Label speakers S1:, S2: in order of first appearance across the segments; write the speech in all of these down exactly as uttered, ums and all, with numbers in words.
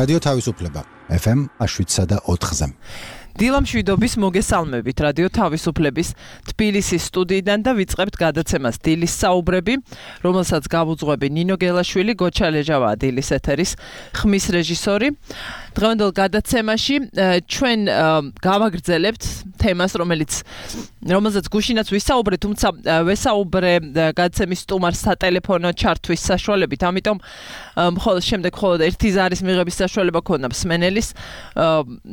S1: რადიო თავისუფლება ეფ ემ შვიდსა და ოთხზე.
S2: დილამ შვიდობის მოგესალმებით რადიო თავისუფლების თბილისის სტუდიიდან და ვიწყებთ გადაცემას დილის საუბრები, რომელსაც გავუძღვები ნინო გელაშვილი, გოჩა ლეჟავაა დილის ეთერის ხმის რეჟისორი. დღევანდელ გადაცემაში ჩვენ გავაგრძელებთ თემას, რომელიც რომელზეც გუშინაც ვისაუბრეთ, თუმცა ვესაუბრე გადაცემის სტუმარს სატელეფონო ჩართვის საშუალებით, ამიტომ მხოლოდ შემდეგ მხოლოდ ერთი ზარის მიღების საშუალება ქონდა მსმენელის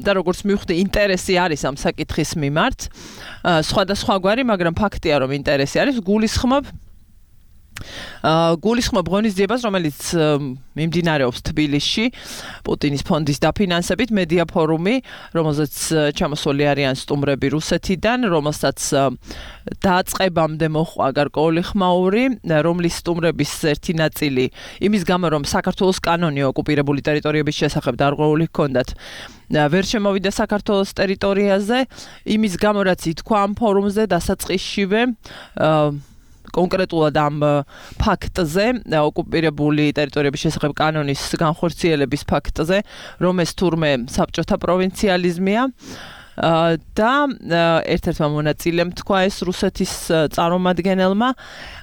S2: და როგორც მივხვდი, ინტერესი არის ამ საკითხის მიმართ. სხვადასხვაგვარი, მაგრამ ფაქტია, რომ ინტერესი არის. გულისხმობ გულისხმობ ღონისძიებას, რომელიც მიმდინარეობს თბილისში პუტინის ფონდის დაფინანსებით, მედია ფორუმი, რომელზეც ჩამოსული არიან სტუმრები რუსეთიდან, რომელსაც დაწყებამდე მოჰყვა გარკვეული ხმაური, რომლის სტუმრების ერთი ნაწილი იმის გამო, რომ საქართველოს კანონი ოკუპირებული ტერიტორიების შესახებ დარღვეული ჰქონდათ, ვერ შემოვიდა საქართველოს ტერიტორიაზე, იმის გამო, რაც ითქვა ამ ფორუმზე დასაწყისშივე კონკრეტულად ამ ფაქტზე, ოკუპირებული ტერიტორიების შესახებ კანონის განხორციელების ფაქტზე, რომ ეს თურმე საბჭოთა პროვინციალიზმია და ერთ-ერთმა მონაწილემ თქვა ეს რუსეთის წარმომადგენელმა.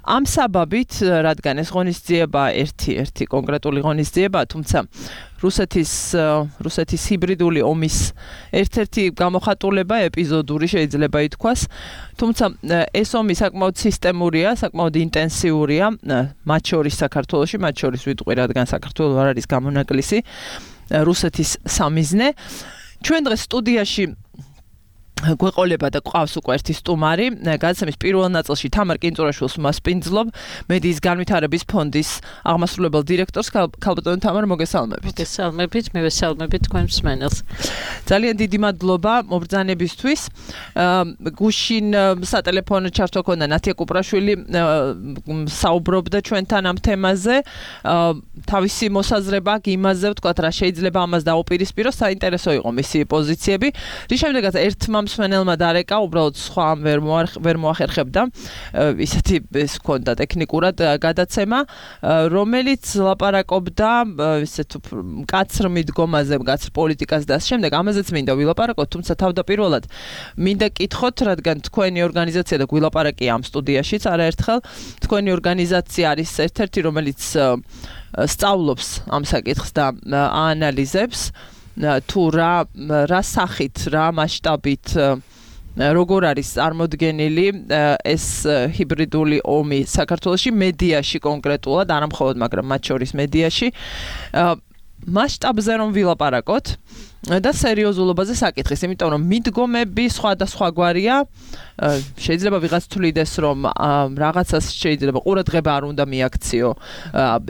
S2: ამ საბაბით, რადგან ეს ღონისძიება ერთი ერთი კონკრეტული ღონისძიება, თუმცა რუსეთის რუსეთის ჰიბრიდული ომის ერთ-ერთი გამოხატულება, ეპიზოდური შეიძლება ითქვას, თუმცა ეს ომი საკმაოდ სისტემურია, საკმაოდ ინტენსიურია, მათ შორის საქართველოში, მათ შორის ვიტყვი, რადგან საქართველო არ არის გამონაკლისი რუსეთის სამიზნე. ჩვენ დღეს სტუდიაში გვეყოლება და გვყავს უკვე ერთი სტუმარი, გადაცემის პირველ ნაწილში თამარ კინწურაშვილს მასპინძლობ, მედიის განვითარების ფონდის აღმასრულებელ დირექტორს. ქალბატონო თამარ, მოგესალმებით.
S3: მოგესალმებით, მივესალმებით თქვენ მსმენელს.
S2: ძალიან დიდი მადლობა მობრძანებისთვის. გუშინ სატელეფონო ჩართვა ქონდა ნათია კუპრაშვილი, საუბრობდა ჩვენთან ამ თემაზე. თავისი მოსაზრება იმაზე ვთქვათ, რა შეიძლება ამას დაუპირისპიროს, საინტერესო იყო მისი პოზიციები. რის შემდეგაც ერთმა მსმენელმა დარეკა, უბრალოდ სხვა ვერ ვერ მოახერხებდა, ისეთი ეს ჰქონდა ტექნიკურად გადაცემა, რომელიც ლაპარაკობდა ისეთ მკაცრ მიდგომაზე, მკაცრ პოლიტიკას და ამ შემდეგ ამაზეც მინდა ვილაპარაკოთ, თუმცა თავდაპირველად მინდა კითხოთ, რადგან თქვენი ორგანიზაცია და გვილაპარაკია ამ სტუდიაშიც არაერთხელ, თქვენი ორგანიზაცია არის ერთ-ერთი, რომელიც სწავლობს ამ საკითხს და აანალიზებს თუ რა რა სახით, რა მასშტაბით, როგორ არის წარმოდგენილი ეს ჰიბრიდული ომი საქართველოში, მედიაში კონკრეტულად, არა მხოლოდ, მაგრამ მათ შორის მედიაში. მასშტაბზე რომ ვილაპარაკოთ და სერიოზულობაზე საკითხის, იმიტომ რომ მიდგომები სხვადასხვაგვარია, შეიძლება ვიღაც თვლიდეს, რომ რაღაცას შეიძლება ყურადღება არ უნდა მიაქციო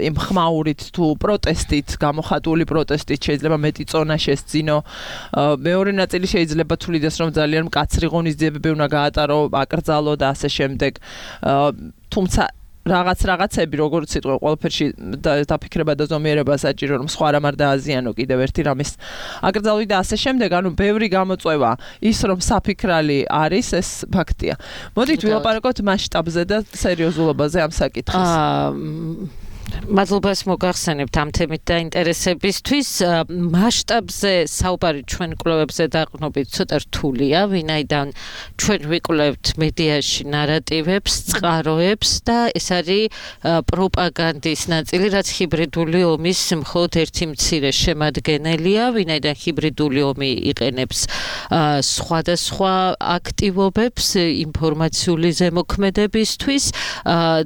S2: იმ ხმაურით თუ პროტესტით, გამოხატული პროტესტით შეიძლება მეტი წონა შესძინო. მეორე ნაწილი შეიძლება თვლიდეს, რომ ძალიან მკაცრი ღონისძიებები უნდა გაატარო, აკრძალო და ასე შემდეგ. თუმცა რაღაც რაღაცები, როგორც სიტყვა, ყველაფერში დაფიქრება და ზომიერება საჭირო, რომ სხვა რამ არ დააზიანო კიდევ ერთი რამის აკრძალვი და ასე შემდეგ, ანუ ბევრი გამოწვევა ის, რომ საფიქრალი არის, ეს ფაქტია. მოდით ვილაპარაკოთ მასშტაბზე და სერიოზულობაზე ამ საკითხის.
S3: მადლობას მოგახსენებთ ამ თემით და ინტერესებისთვის. მასშტაბზე საუბარი ჩვენ კვლევებზე დაყრდნობით ცოტა რთულია, ვინაიდან ჩვენ ვიკვლევთ მედიაში ნარატივებს, წყაროებს და ეს არის პროპაგანდის ნაწილი, რაც ჰიბრიდული ომის მხოლოდ ერთი მცირე შემადგენელია, ვინაიდან ჰიბრიდული ომი იყენებს სხვადასხვა აქტივობებს ინფორმაციული ზემოქმედებისთვის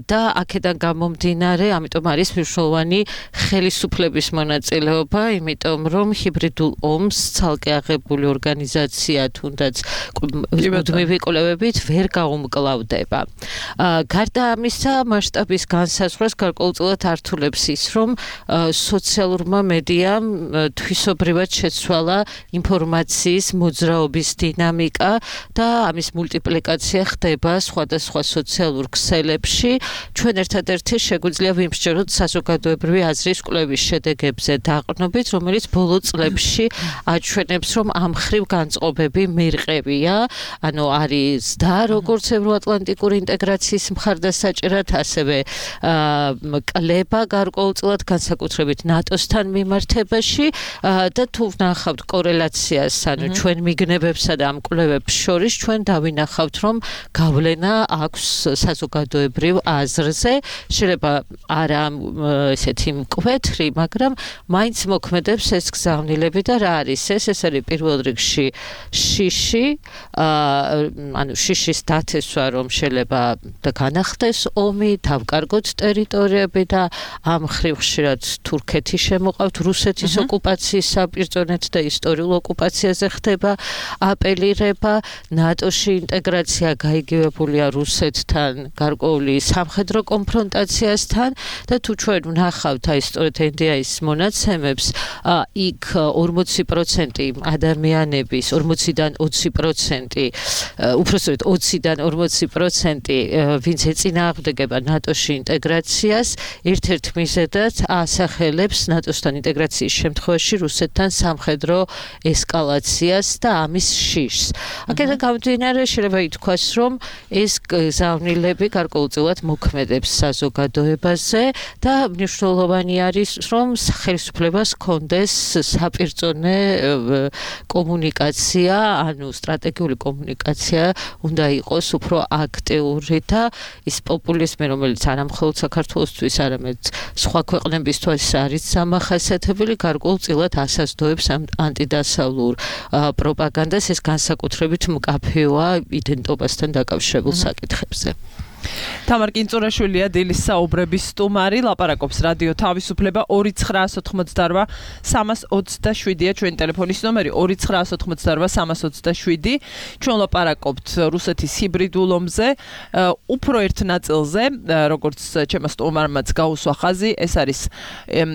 S3: და აქედან გამომდინარე, ამიტომ არის მნიშვნელოვანი ხელისუფლების მონაწილეობა, იმიტომ რომ ჰიბრიდულ ომს ცალკე აღებული ორგანიზაცია თუნდაც მუდმივი კვლევებით ვერ გაუმკლავდება. გარდა ამისა, მასშტაბის განსაზღვრას გარკვეულწილად ართულებს ის, რომ სოციალურმა მედიამ თვისობრივად შეცვალა ინფორმაციის მოძრაობის დინამიკა და ამის მულტიპლიკაცია ხდება სხვადასხვა სოციალურ ქსელებში. ჩვენ ერთადერთი შეგვიძლია ვიმსჯეროთ საერთოდ საზოგადოებრივი აზრის კვლევის შედეგებზე დაყრდნობით, რომელიც ბოლო წლებში აჩვენებს, რომ ამ მხრივ განწყობები მერყევია, ანუ არის და როგორც ევროატლანტიკური ინტეგრაციის მხარდასაჭერად, ასევე კლება გარკვეულწილად განსაკუთრებით ნატოსთან მიმართებაში და თუ ვნახავთ კორელაციას, ანუ ჩვენ მიგნებებსა და ამ კვლევებს შორის, ჩვენ დავინახავთ, რომ გავლენა აქვს საზოგადოებრივ აზრზე, შეიძლება არა ესეთი მკვეთრი, მაგრამ მაინც მოქმედებს ეს გზავნილები და რა არის ეს? ეს არის პირველ რიგში შიში, ანუ შიშის დათესვა, რომ შეიძლება და განახდეს ომი, დავკარგოთ ტერიტორიები და ამ მხრივ ხშირად თურქეთი შემოყავთ, რუსეთის ოკუპაციის საბრძოლეთ და ისტორიულ ოკუპაციაზე ხდება აპელირება, ნატოში ინტეგრაცია გაიგივებულია რუსეთთან, გარკვეული სამხედრო კონფრონტაციასთან და თუ ჩვენ ვნახავთ აი სწორედ ენ დი აის მონაცემებს, იქ ორმოცი პროცენტი ადამიანების, ორმოციდან ოცი პროცენტი, უпростოდ ოციდან ორმოცი პროცენტი, ვინც ეწინააღმდეგება ნატოში ინტეგრაციას, ერთ-ერთ მიზეზად ასახელებს ნატოსთან ინტეგრაციის შემთხვევაში რუსეთთან სამხედრო ესკალაციას და ამის შიშს. აქედან გამომდინარე, შეიძლება ითქვას, რომ ეს გზავნილები გარკვეულწილად მოქმედებს საზოგადოებაზე და მნიშვნელოვანი არის, რომ ხელისუფლებას ჰქონდეს საპირწონე კომუნიკაცია, ანუ სტრატეგიული კომუნიკაცია უნდა იყოს უფრო აქტიური და ის პოპულიზმი, რომელიც არა მხოლოდ საქართველოსთვის, არამედ სხვა ქვეყნებისთვის არის სამახასიათებელი, გარკვეულწილად ასაზრდოებს ამ ანტიდასავლურ პროპაგანდას, ეს განსაკუთრებით მკაფიოა იდენტობასთან დაკავშირებულ საკითხებზე.
S2: თამარ კინწურაშვილია დილის საუბრების სტუმარი, ლაპარაკობს რადიო თავისუფლება ორი ცხრაას ოცდაოთხმოცდაორვა სამას ოცდაშვიდია ჩვენი ტელეფონის ნომერი ორი ცხრაას ოცდაოთხმოცდაორვა სამას ოცდაშვიდი. ჩვენ ლაპარაკობთ რუსეთის ჰიბრიდულ ომზე, უფრო ერთ ნაწილზე, როგორც ჩემმა სტუმარმაც გაუსვა ხაზი, ეს არის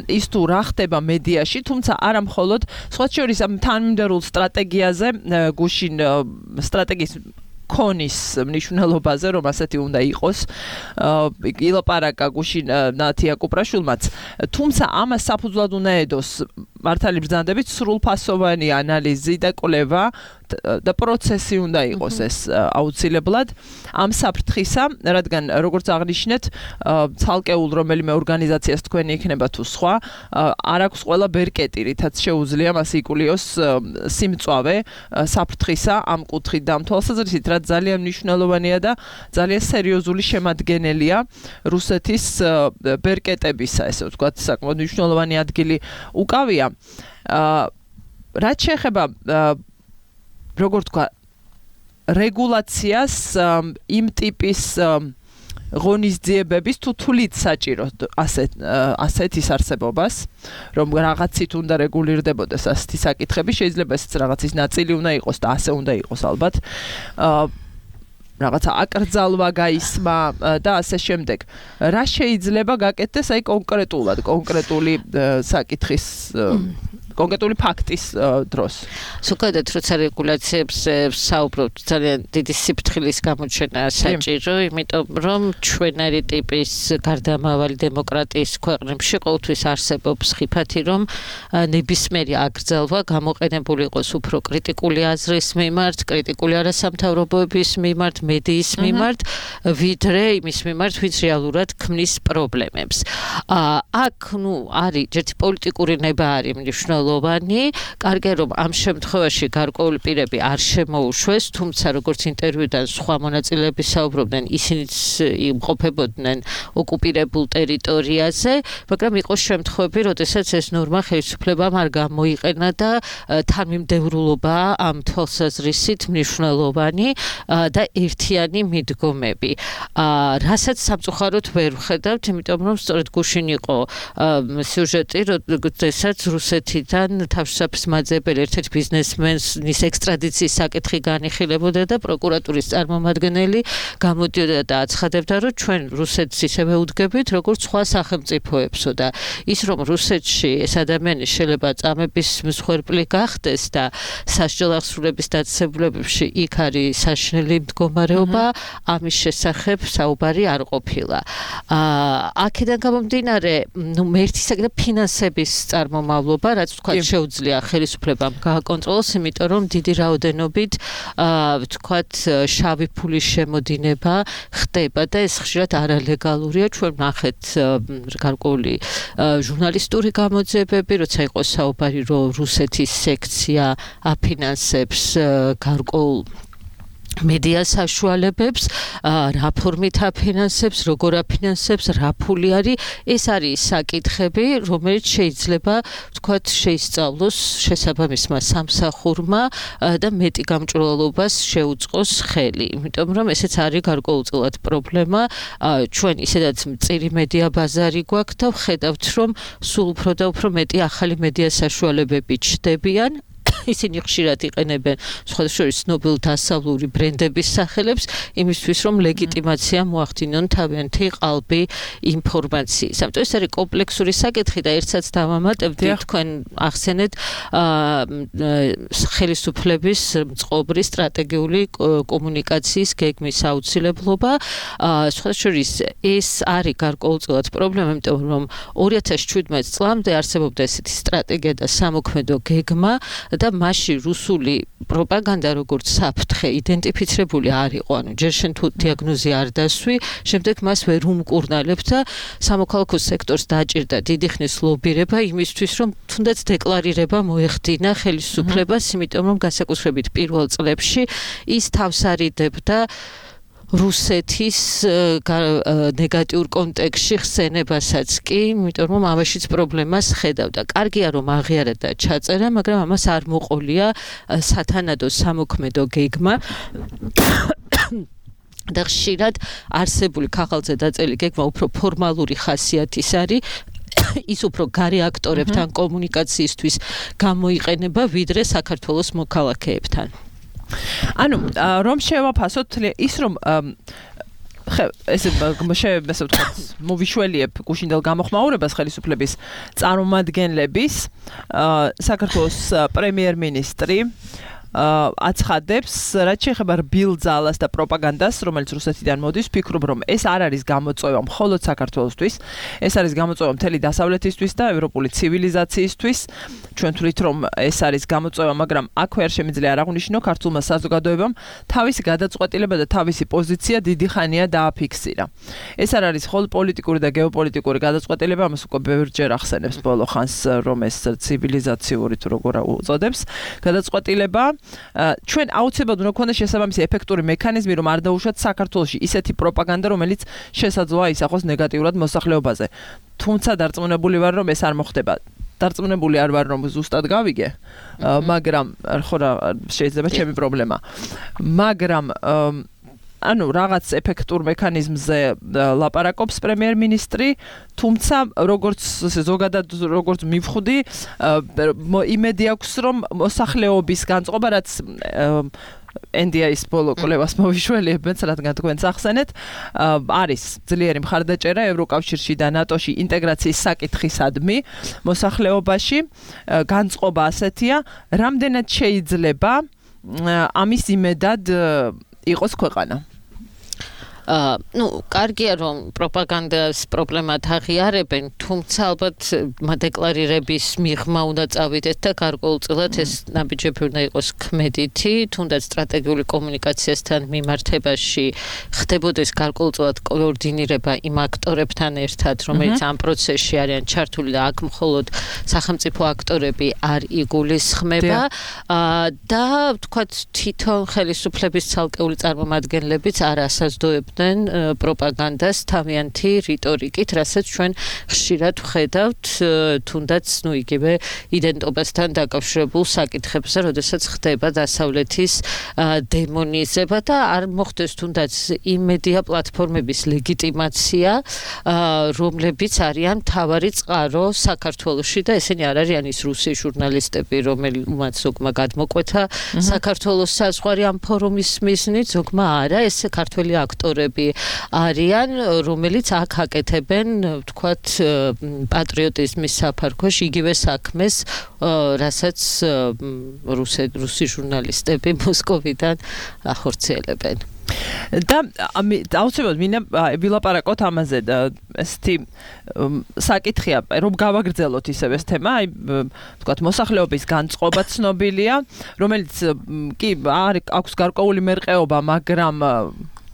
S2: ის თუ რა ხდება მედიაში, თუმცა არა მხოლოდ, სხვა შორის ამ თანმიმდევრულ სტრატეგიაზე, გუშინ სტრატეგიის ქონის მნიშვნელობაზე, რომ ასეთი უნდა იყოს, ილაპარაკა გუშინ ნათია კუპრაშვილმაც, თუმცა ამას საფუძვლად უნდა ედოს მართალი ბრძანდებით სრულფასოვანი ანალიზი და კვლევა და პროცესი უნდა იყოს ეს აუცილებლად ამ საფრთხისა, რადგან როგორც აღნიშნეთ, ცალკეულ რომელიმე ორგანიზაციას თქვენი იქნება თუ სხვა, არ აქვს ყველა ბერკეტი, რითაც შეუძლია მას იკულიოს სიმწვავე საფრთხისა ამ კუთხით და ამ თვალსაზრისით, რაც ძალიან მნიშვნელოვანია და ძალიან სერიოზული შემადგენელია რუსეთის ბერკეტებისა, ესე ვთქვათ, საკმაოდ მნიშვნელოვანი ადგილი უკავია. რაც შეეხება როგორ თქვა რეგულაციას იმ ტიპის ღონისძიებების თუ თulit საჭიროთ ასეთ ასეთის არსებობას, რომ რაღაცით უნდა რეგულირდებოდეს ასეთი საკითხები, შეიძლება ესეც რაღაცის ნაწილი უნდა იყოს და ასე უნდა იყოს ალბათ. რაღაცა აკრძალვა გაისმა და ასე შემდეგ. რა შეიძლება გაკეთდეს აი კონკრეტულად, კონკრეტული საკითხის კონკრეტული ფაქტის დროს.
S3: ზოგადად როცა რეგულაციებზე საუბრობთ, ძალიან დიდი სიფრთხილის გამოჩენაა საჭირო, იმიტომ რომ ჩვენარი ტიპის გარდამავალი დემოკრატიის ქვეყნებში ყოველთვის არსებობს ხიფათი, რომ ნებისმიერი აკრძალვა გამოყენებული იყოს უფრო კრიტიკული აზრის მიმართ, კრიტიკული არასამთავრობოების მიმართ, მედიის მიმართ, ვიდრე იმის მიმართ, ვინც რეალურად ქმნის პრობლემებს. აქ ნუ არის ერთი პოლიტიკური ნება არის მნიშვნელოვანი ლოვანი, კარგია რომ ამ შემთხვევაში გარკვეული პირები არ შემოუშვეს, თუმცა როგორც ინტერვიუდან სხვა მონაწილეები საუბრობდნენ, ისინიც იმყოფებოდნენ ოკუპირებულ ტერიტორიაზე, მაგრამ იყო შემთხვევები, როდესაც ეს ნორმა ხელისუფლებამ არ გამოიყენა და თანმიმდევრულობა ამ თვალსაზრისით მნიშვნელოვანი და ერთიანი მიდგომები. რასაც სამწუხაროდ ვერ ვხედავთ, იმიტომ რომ სწორედ გუშინ იყო სიუჟეტი, როდესაც რუსეთი პროკურატურისთან თავშესაფრის მაძიებელი ერთ-ერთ ბიზნესმენის ექსტრადიციის საკითხი განიხილებოდა და პროკურატურის წარმომადგენელი გამოდიოდა და აცხადებდა, რომ ჩვენ რუსეთს ისევე უდგებით, როგორც სხვა სახელმწიფოებსო და ის რომ რუსეთში ეს ადამიანი შეიძლება წამების მსხვერპლი გახდეს და სასჯელ აღსრულების დაწესებულებებში იქ არის საშინელი მდგომარეობა, ამის შესახებ საუბარი არ ყოფილა. აქედან გამომდინარე, ნუ ერთი საკითხი ფინანსების წარმომავლობა, რაც თქვა შეუძლია ხელისუფლებამ გააკონტროლოს, იმიტომ რომ დიდი რაოდენობით ვთქვათ შავი ფულის შემოდინება ხდება და ეს ხშირად არალეგალურია. ჩვენ ვნახეთ გარკვეული ჟურნალისტური გამოძიებები, როცა იყო საუბარი, რომ რუსეთის სექცია აფინანსებს გარკვეულ მედია საშუალებებს, რა ფორმით აფინანსებს, როგორ აფინანსებს, რა ფული არის, ეს არის საკითხები, რომელიც შეიძლება ვთქვათ შეისწავლოს შესაბამისმა სამსახურმა და მეტი გამჭვირვალობას შეუწყოს ხელი. იმიტომ რომ ესეც არის გარკვეულწილად პრობლემა. ჩვენ ისედაც მწირი მედია ბაზარი გვაქვს და ვხედავთ, რომ სულ უფრო და უფრო მეტი ახალი მედია საშუალებები ჩნდებიან. ისინი ხშირად იყენებენ სხვადასხვა შორის ცნობილ დასავლური ბრენდების სახელებს იმისთვის რომ ლეგიტიმაცია მოახდინონ თავიანთი ყალბი ინფორმაციის. ამიტომ ეს არის კომპლექსური საკითხი და ერთსაც დავამატებდი თქვენ ახსენეთ ხელისუფლების მწყობრი სტრატეგიული კომუნიკაციის გეგმის აუცილებლობა. სხვადასხვა შორის ეს არის გარკვეულწილად პრობლემა, იმიტომ რომ ორი ათას შვიდმეტ წლამდე არსებობდა ესეთი სტრატეგია და სამოქმედო გეგმა და მასში რუსული პროპაგანდა როგორც საფრთხე იდენტიფიცირებული არ იყო, ანუ ჯერ შენ თუ დიაგნოზი არ დასვი, შემდეგ მას ვერ უმკურნალებ და სამოქალაქო სექტორს დაჭირდა დიდი ხნის ლობირება იმისთვის, რომ თუნდაც დეკლარირება მოეხდინა ხელისუფლებას, იმიტომ რომ განსაკუთრებით პირველ წლებში ის თავს არიდებდა რუსეთის ნეგატიურ კონტექსტში ხსენებასაც კი, იმიტომ რომ ამაშიც პრობლემას ხედავდა. კარგია რომ აღიარა და ჩაწერა, მაგრამ ამას არ მოყოლია სათანადო სამოქმედო გეგმა. და ხშირად არსებული ქაღალდზე დაწერილი გეგმა უფრო ფორმალური ხასიათის არის. ის უფრო გარე აქტორებთან კომუნიკაციისთვის გამოიყენება, ვიდრე საქართველოს მოქალაქეებთან.
S2: ანუ რომ შევაფასოთ ის რომ ხე ესე ესე ვთქვათ მოვიშველიებ გუშინდელ გამოხმაურებას ხელისუფლების წარმომადგენლების საქართველოს პრემიერ-მინისტრი აცხადებს, რაც შეეხება რბილ ძალას და პროპაგანდას, რომელიც რუსეთიდან მოდის, ვფიქრობ, რომ ეს არ არის გამოწვევა მხოლოდ საქართველოსთვის, ეს არის გამოწვევა მთელი დასავლეთისთვის და ევროპული ცივილიზაციისთვის. ჩვენ თვლით, რომ ეს არის გამოწვევა, მაგრამ აქვე არ შემიძლია არ აღვნიშნო ქართულმა საზოგადოებამ თავისი გადაწყვეტილება და თავისი პოზიცია დიდი ხანია დააფიქსირა. ეს არ არის მხოლოდ პოლიტიკური და გეოპოლიტიკური გადაწყვეტილება, ამას უკვე ბევრჯერ ახსენებს ბოლო ხანს, რომ ეს ცივილიზაციური თუ როგორ უწოდებს გადაწყვეტილება. ჩვენ აუცილებლად უნდა გქონდეს შესაბამისი ეფექტური მექანიზმი, რომ არ დაუშვათ საქართველოში ისეთი პროპაგანდა, რომელიც შესაძლოა ისახოს ნეგატიურად მოსახლეობაზე. თუმცა დარწმუნებული ვარ, რომ ეს არ მოხდება. დარწმუნებული არ ვარ, რომ ზუსტად გავიგე, მაგრამ ხო რა შეიძლება ჩემი პრობლემა. მაგრამ ანუ რაღაც ეფექტურ მექანიზმზე ლაპარაკობს პრემიერ-მინისტრი, თუმცა როგორც ზოგადად როგორც მივხვდი, იმედი აქვს, რომ მოსახლეობის განწყობა, რაც ენ დი ეის ბოლო კვლევას მოვიშველიებთ, რადგან თქვენც ახსენეთ, არის ძლიერი მხარდაჭერა ევროკავშირში და ნატოში ინტეგრაციის საკითხისადმი მოსახლეობაში, განწყობა ასეთია, რამდენად შეიძლება ამის იმედად იყოს ქვეყანა.
S3: აა ნუ კარგია რომ პროპაგანდას პრობლემად აღიარებენ, თუმცა ალბათ მადეკლარირების მიღმა უნდა წავიდეთ და გარკვეულწილად ეს ნაბიჯები უნდა იყოს ქმედითი, თუნდაც სტრატეგიული კომუნიკაციასთან მიმართებაში ხდებოდეს გარკვეულწილად კოორდინირება იმ აქტორებთან ერთად, რომელიც ამ პროცესში არიან ჩართული და აქ მხოლოდ სახელმწიფო აქტორები არ იგულისხმება და ვთქვათ თვითონ ხელისუფლების ცალკეული წარმომადგენლებიც არ ასაზრდოებდნენ ფლობდნენ პროპაგანდას თავიანთი რიტორიკით, რასაც ჩვენ ხშირად ვხედავთ, თუნდაც ნუ იგივე იდენტობასთან დაკავშირებულ საკითხებზე, როდესაც ხდება დასავლეთის დემონიზება და არ მოხდეს თუნდაც იმ მედია პლატფორმების ლეგიტიმაცია, რომლებიც არიან მთავარი წყარო საქართველოში და ესენი არ არიან ის რუსი ჟურნალისტები, რომელმაც ზოგმა გადმოკვეთა საქართველოს საზღვარი ამ ფორუმის მიზნით, ზოგმა არა, ეს ქართველი აქტორები არიან, რომელიც აქ აკეთებენ, ვთქვათ, პატრიოტიზმის საფარქვეში იგივე საქმეს, რასაც რუსი ჟურნალისტები მოსკოვიდან ახორციელებენ.
S2: და აუცილებლად მინდა ვილაპარაკოთ ამაზე და ესეთი საკითხია, რომ გავაგრძელოთ ისევ ეს თემა, აი ვთქვათ, მოსახლეობის განწყობა ცნობილია, რომელიც კი არ აქვს გარკვეული მერყეობა, მაგრამ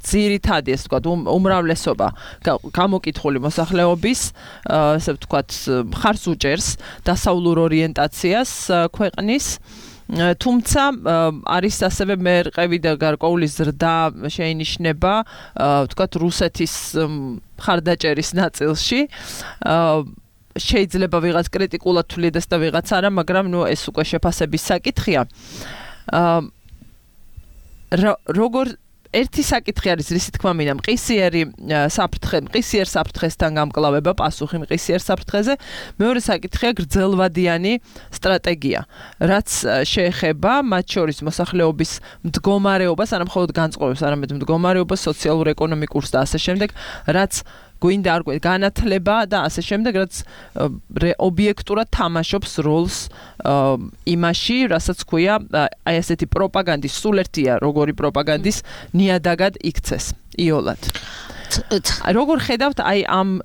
S2: ძირითადი ეს ვთქვათ, უმრავლესობა გამოკითხული მოსახლეობის, ესე ვთქვათ, მხარს უჭერს დასავლურ ორიენტაციას ქვეყნის. თუმცა არის ასევე მერყევი და გარკვეული ზრდა შეინიშნება, ვთქვათ, რუსეთის მხარდაჭერის ნაწილში. შეიძლება ვიღაც კრიტიკულად თვლიდეს და ვიღაც არა, მაგრამ ნუ ეს უკვე შეფასების საკითხია. როგორ ერთი საკითხი არის, რისი თქმა მინდა, მყისიერი საფრთხე, მყისიერ საფრთხესთან გამკლავება, პასუხი მყისიერ საფრთხეზე. მეორე საკითხია გრძელვადიანი სტრატეგია, რაც შეეხება მათ შორის მოსახლეობის მდგომარეობას, არა მხოლოდ განწყობებს, არამედ მდგომარეობას, სოციალურ-ეკონომიკურს და ასე შემდეგ, რაც გვინდა არ გვინდა განათლება და ასე შემდეგ, რაც ობიექტურად თამაშობს როლს იმაში, რასაც ქვია აი ესეთი პროპაგანდის, სულ ერთია როგორი პროპაგანდის ნიადაგად იქცეს იოლად. როგორ ხედავთ აი ამ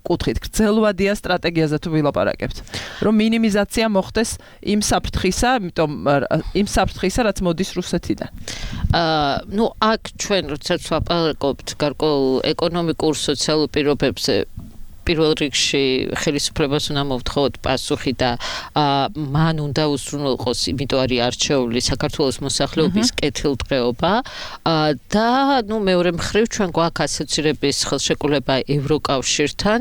S2: კუთხით, გრძელვადიან სტრატეგიაზე თუ ვილაპარაკებთ, რომ მინიმიზაცია მოხდეს იმ საფრთხისა, იმიტომ იმ საფრთხისა, რაც მოდის რუსეთიდან.
S3: აა, ნუ აქ ჩვენ როდესაც ვაპარაკობთ გარკვეულ ეკონომიკურ სოციალურ პირობებზე, პირველ რიგში ხელისუფლებას უნდა მოვთხოვოთ პასუხი და მან უნდა უზრუნველყოს, იმიტომ არის არჩეული საქართველოს მოსახლეობის კეთილდღეობა და ნუ მეორე მხრივ ჩვენ გვაქვს ასოცირების ხელშეკრულება ევროკავშირთან,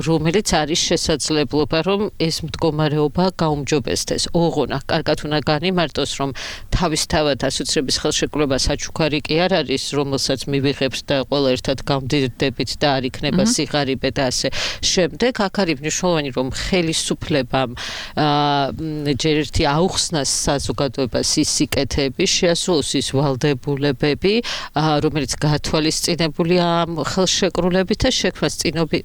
S3: რომელიც არის შესაძლებლობა, რომ ეს მდგომარეობა გაუმჯობესდეს. ოღონდ კარგად უნდა განიმარტოს, რომ თავისთავად ასოცირების ხელშეკრულება საჩუქარი კი არ არის, რომელსაც მივიღებთ და ყველა ერთად გავმდიდრდებით და არ იქნება სიღარიბე და ასე შემდეგ. აქ არის მნიშვნელოვანი, რომ ხელისუფლებამ ჯერ ერთი აუხსნას საზოგადოებას ის სიკეთეები, შეასრულოს ის ვალდებულებები, რომელიც გათვალისწინებულია ამ ხელშეკრულებით და შექმნას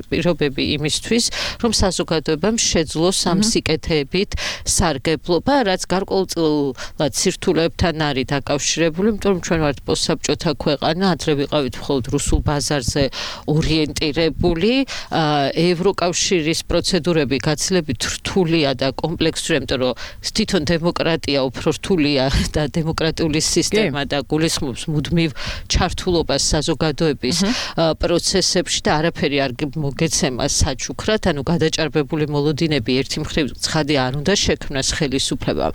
S3: პირობები იმისთვის, რომ საზოგადოებამ შეძლოს ამ სიკეთეებით სარგებლობა, რაც გარკვეულწილად სირთულეებთან არის დაკავშირებული, იმიტომ რომ ჩვენ ვართ პოსტსაბჭოთა ქვეყანა, ადრე ვიყავით მხოლოდ რუსულ ბაზარზე ორიენტირებული. ევროკავშირის პროცედურები გაცილებით რთულია და კომპლექსური, იმიტომ რომ თვითონ დემოკრატია უფრო რთულია და დემოკრატიული სისტემა და გულისხმობს მუდმივ ჩართულობას საზოგადოების პროცესებში და არაფერი არ მოგეცემა საჩუქრად, ანუ გადაჭარბებული მოლოდინები ერთი მხრივ ცხადი არ უნდა შექმნას ხელისუფლებამ.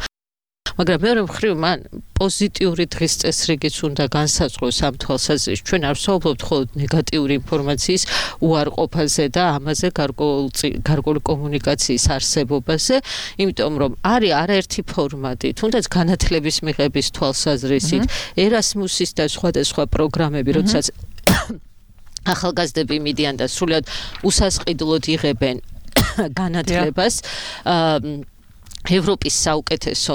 S3: მაგრამ მეორე მხრივ მან პოზიტიური დღის წესრიგიც უნდა განსაზღვროს ამ თვალსაზრისით. ჩვენ არ ვსაუბრობთ მხოლოდ ნეგატიური ინფორმაციის უარყოფაზე და ამაზე გარკვეული კომუნიკაციის არსებობაზე, იმიტომ რომ არის არაერთი ფორმატი, თუნდაც განათლების მიღების თვალსაზრისით, ერასმუსის და სხვადასხვა პროგრამები, როდესაც ახალგაზრდები მიდიან და სრულად უსასყიდლოდ იღებენ განათლებას, ევროპის საუკეთესო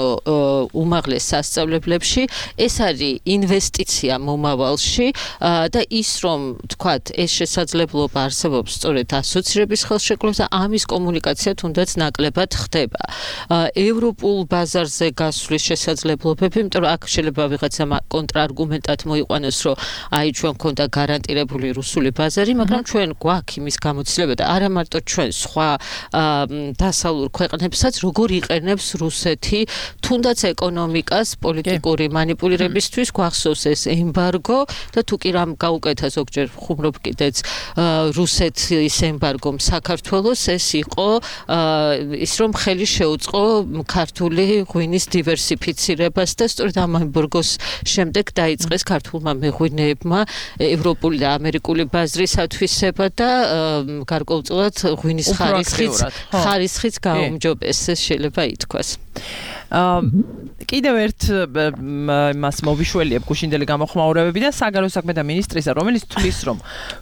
S3: უმაღლეს სასწავლებლებში, ეს არის ინვესტიცია მომავალში და ის რომ თქვათ ეს შესაძლებლობა არსებობს სწორედ ასოცირების ხელშეკრულებას და ამის კომუნიკაცია თუნდაც ნაკლებად ხდება. ევროპულ ბაზარზე გასვლის შესაძლებლობები, იმიტომ რომ აქ შეიძლება ვიღაცა კონტრარგუმენტად მოიყვანოს, რომ აი ჩვენ გვქონდა გარანტირებული რუსული ბაზარი, მაგრამ ჩვენ გვაქვს იმის გამოცდილება და არა მარტო ჩვენ სხვა დასავლურ ქვეყნებსაც როგორ იყენებენ აჩვენებს რუსეთი თუნდაც ეკონომიკას პოლიტიკური მანიპულირებისთვის გვახსოვს ეს ემბარგო და თუ კი რამ გაუკეთა ზოგჯერ ხუმრობ კიდეც რუსეთის ემბარგომ საქართველოს ეს იყო ის რომ ხელი შეუწყო ქართული ღვინის დივერსიფიცირებას და სწორედ ამ ემბარგოს შემდეგ დაიწყეს ქართულმა მეღვინეებმა ევროპული და ამერიკული ბაზრის ათვისება და გარკვეულწილად ღვინის ხარისხიც ხარისხიც გაუმჯობესეს შეიძლება ითქვას.
S2: კიდევ ერთ მას მოვიშველიებ გუშინდელი გამოხმაურებებიდან საგარეო საქმეთა მინისტრისა, რომელიც თვლის, რომ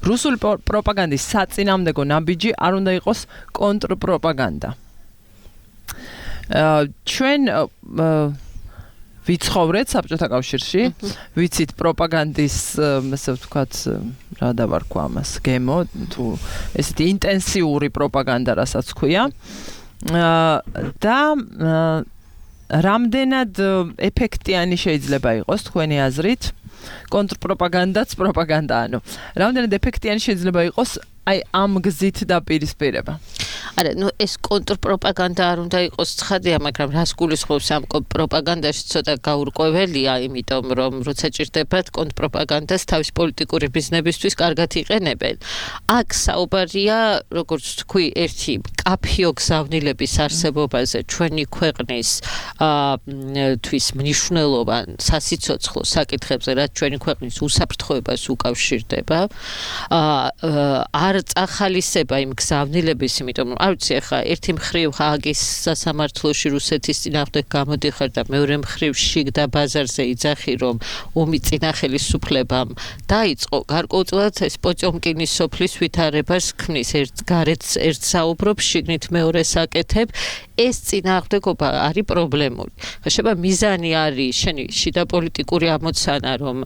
S2: რუსული პროპაგანდის საწინააღმდეგო ნაბიჯი არ უნდა იყოს კონტრპროპაგანდა. ჩვენ ვიცხოვრეთ საბჭოთა კავშირში, ვიცით პროპაგანდის, ასე ვთქვათ, რა დავარქვა ამას, გემო, თუ ესეთი ინტენსიური პროპაგანდა, რასაც ქვია. და რამდენად ეფექტიანი შეიძლება იყოს თქვენი აზრით კონტრპროპაგანდაც პროპაგანდა, ანუ რამდენად ეფექტიანი შეიძლება იყოს აი ამ გზით დაპირისპირება.
S3: არა, ნუ ეს კონტრპროპაგანდა არ უნდა იყოს ცხადია, მაგრამ რას გულისხმობს ამ პროპაგანდაში ცოტა გაურკვეველია, იმიტომ რომ როცა ჭირდებათ კონტრპროპაგანდას თავის პოლიტიკური ბიზნესისთვის კარგად იყენებენ. აქ საუბარია, როგორც თქვი, ერთი კაფიო გზავნილების არსებობაზე ჩვენი ქვეყნის თვის მნიშვნელოვან სასიცოცხლო საკითხებზე, რაც ჩვენი ქვეყნის უსაფრთხოებას უკავშირდება. არ წახალისება იმ გზავნილების, იმიტომ რომ არ ვიცი ახლა ერთი მხრივ ჰააგის სასამართლოში რუსეთის წინააღმდეგ გამოდიხარ და მეორე მხრივ შიგ და ბაზარზე იძახი რომ ომი წინა ხელისუფლებამ დაიწყო გარკვეულწილად ეს პოჭომკინის სოფლის ვითარებას ქმნის ერთ გარეთ ერთ საუბრობს შიგნით მეორეს აკეთებ ეს წინააღმდეგობა არის პრობლემური. ხება მიზანი არის შენი შიდა პოლიტიკური ამოცანა რომ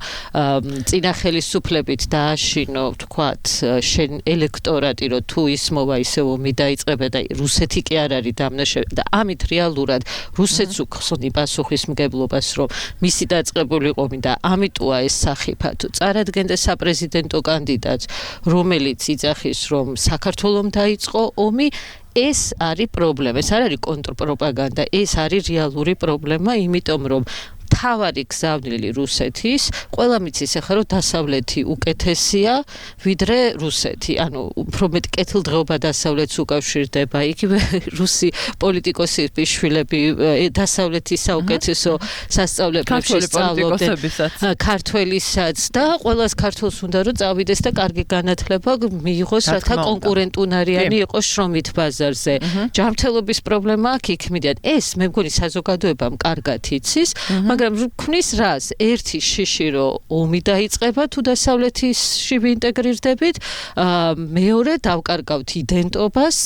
S3: წინა ხელისუფლებით დააშინო თქვათ შენ ელექტორატი რომ თუ ისმოვა ისე ომი დაიწყება და რუსეთი კი არ არის დამნაშავე და ამით რეალურად რუსეთს უხსნი პასუხისმგებლობას რომ მისი დაწყებული ომი და ამიტოა ეს სახიფათო წარადგენდა საპრეზიდენტო კანდიდატს რომელიც იძახის რომ საქართველოს დაიწყო ომი ეს არის პრობლემა, ეს არ არის კონტრპროპაგანდა, ეს არის რეალური პრობლემა, იმიტომ რომ თავარი გზავნილი რუსეთის, ყველა მიცის ახლა რომ დასავლეთი უკეთესია, ვიდრე რუსეთი. ანუ უფრო მეტ კეთილდღეობა დასავლეთს უკავშირდება. იგივე რუსი პოლიტიკოსების შვილები დასავლეთის საუკეთესო სასწავლებლებში სწავლობდნენ. ქართველისაც და ყველას ქართულს უნდა რომ წავიდეს და კარგი განათლება მიიღოს, რათა კონკურენტუნარიანი იყოს შრომით ბაზარზე. ჯანმრთელობის პრობლემა აქ იქმნიდან. ეს მე მგონი საზოგადოებამ კარგად იცის, მაგრამ ქმნის რას? ერთი შიში რომ ომი დაიწყება თუ დასავლეთში ვინტეგრირდებით, მეორე დავკარგავთ იდენტობას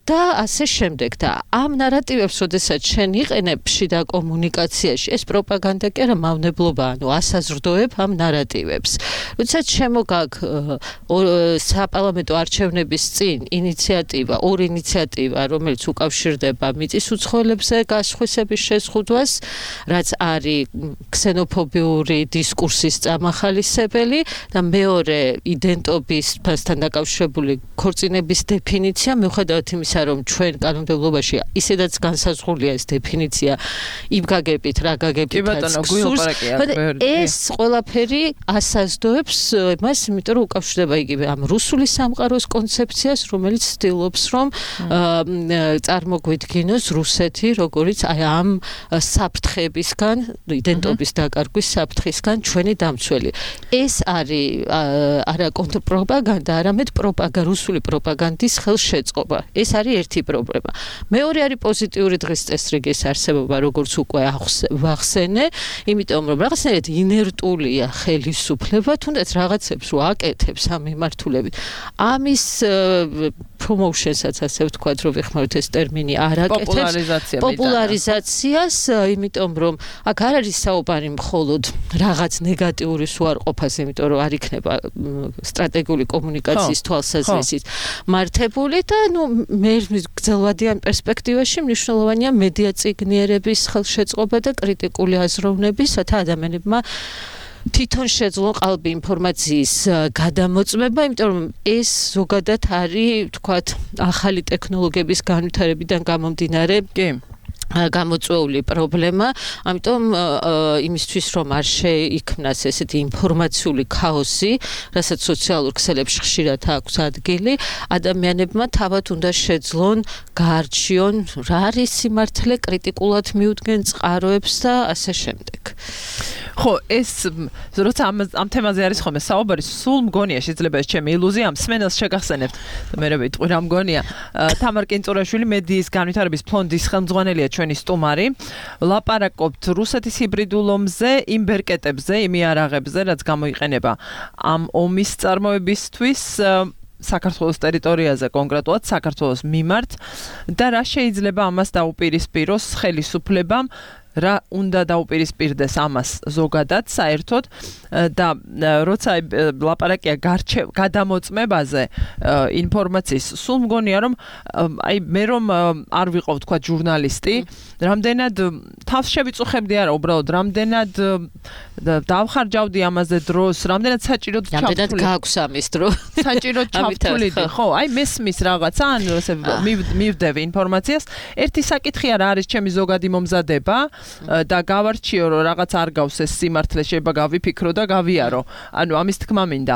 S3: და ასე შემდეგ. და ამ ნარატივებს, როდესაც შენ იყენებ შიდა კომუნიკაციაში, ეს პროპაგანდა კი არა მავნებლობა, ანუ ასაზრდოებ ამ ნარატივებს. როდესაც შემოგაგ საპარლამენტო არჩევნების წინ ინიციატივა, ორი ინიციატივა, რომელიც უკავშირდება მიწის უცხოელებზე გასხვისების შეზღუდვას, რაც არის ქსენოფობიური დისკურსის წამახალისებელი და მეორე იდენტობისთან დაკავშირებული ქორწინების დეფინიცია, მიუხედავად იმისა, რომ ჩვენ კანონმდებლობაში ისედაც განსაზღვრულია ეს დეფინიცია იმ გაგებით, რა გაგებითაც გსურს, ეს ყველაფერი ასაზრდოებს მას, იმიტომ რომ უკავშირდება იგივე ამ რუსული სამყაროს კონცეფციას, რომელიც ცდილობს, რომ წარმოგვიდგინოს რუსეთი, როგორც აი ამ საფრთხეებისგან იდენტობის დაკარგვის საფრთხისგან ჩვენი დამცველი. ეს არის არა კონტრპროპაგანდა, არამედ პროპაგანდა, რუსული პროპაგანდის ხელშეწყობა. ეს არის ერთი პრობლემა. მეორე არის პოზიტიური დღის წესრიგის არსებობა, როგორც უკვე ვახსენე, იმიტომ რომ რაღაცნაირად ინერტულია ხელისუფლება, თუნდაც რაღაცებს რო აკეთებს ამ მიმართულებით. ამის promotion-საც ასე ვთქვათ, რომ ვიხმაროთ ეს ტერმინი არ აკეთებს პოპულარიზაციას, იმიტომ რომ აქ არ არის საუბარი მხოლოდ რაღაც ნეგატიურის უარყოფას, იმიტომ რომ არ იქნება სტრატეგიული კომუნიკაციის თვალსაზრისით მართებული და ნუ მე გრძელვადიან პერსპექტივაში მნიშვნელოვანია მედია წიგნიერების ხელშეწყობა და კრიტიკული აზროვნების, რათა ადამიანებმა თვითონ შეძლონ ყალბი ინფორმაციის გადამოწმება, იმიტომ რომ ეს ზოგადად არის, ვთქვათ, ახალი ტექნოლოგიების განვითარებიდან გამომდინარე. კი. გამოწვეული პრობლემა, ამიტომ იმისთვის რომ არ შეიქმნას ესეთი ინფორმაციული ქაოსი, რასაც სოციალურ ქსელებში ხშირად აქვს ადგილი, ადამიანებმა თავად უნდა შეძლონ, გაარჩიონ რა არის სიმართლე, კრიტიკულად მიუდგენ წყაროებს და ასე შემდეგ.
S2: ხო, ეს როცა ამ ამ თემაზე არის ხოლმე საუბარი, სულ მგონია შეიძლება ეს ჩემი ილუზია, ამ სმენელს შეგახსენებთ. მე რა ვიტყვი, რა მგონია. თამარ კინწურაშვილი მედიის განვითარების ფონდის ხელმძღვანელია ჩვენი სტუმარი. ლაპარაკობთ რუსეთის ჰიბრიდულ ომზე, იმ ბერკეტებზე, იმ იარაღებზე, რაც გამოიყენება ამ ომის წარმოებისთვის საქართველოს ტერიტორიაზე, კონკრეტულად საქართველოს მიმართ და რა შეიძლება ამას დაუპირისპიროს ხელისუფლებამ, რა უნდა დაუპირისპირდეს ამას ზოგადად საერთოდ და როცა ლაპარაკია გადამოწმებაზე ინფორმაციის, სულ მგონია რომ აი მე რომ არ ვიყავ თქვა ჟურნალისტი, რამდენად თავს შევიწუხებდი არა, უბრალოდ რამდენად დავხარჯავდი ამაზე დროს, რამდენად საჭიროდ ჩავთვლი.
S3: რამდენად გაქვს ამის დრო?
S2: საჭიროდ ჩავთვლიდი, ხო, აი მესმის რაღაცა, ან ესე მივდები ინფორმაციას. ერთი საკითხია რა არის ჩემი ზოგადი მომზადება და გავარჩიო რომ რაღაც არ გავს ეს სიმართლე, შეიძლება გავიფიქრო და გავიარო. ანუ ამის თქმა მინდა.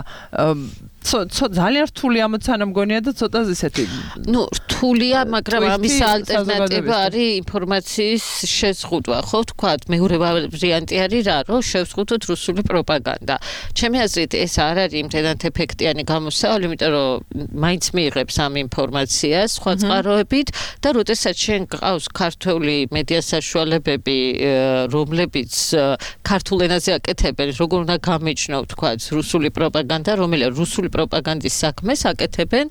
S2: ძალიან რთული ამოცანა მგონია და ცოტა ისეთი.
S3: ნუ რთულია, მაგრამ ამის ალტერნატივა არის ინფორმაციის შეზღუდვა, ხო ვთქვათ, მეორე ვარიანტი არის რა, რომ შევზღუდოთ რუსული პროპაგანდა. ჩემი აზრით ეს არ არის იმდენად ეფექტიანი გამოსავალი, იმიტომ რომ მაინც მიიღებს ამ ინფორმაციას სხვა წყაროებით და როდესაც შენ გყავს ქართული მედია საშუალებები, რომლებიც ქართულ ენაზე აკეთებენ, როგორ უნდა გამიჩნო, ვთქვათ, რუსული პროპაგანდა, რომელიც რუსული პროპაგანდის საქმეს აკეთებენ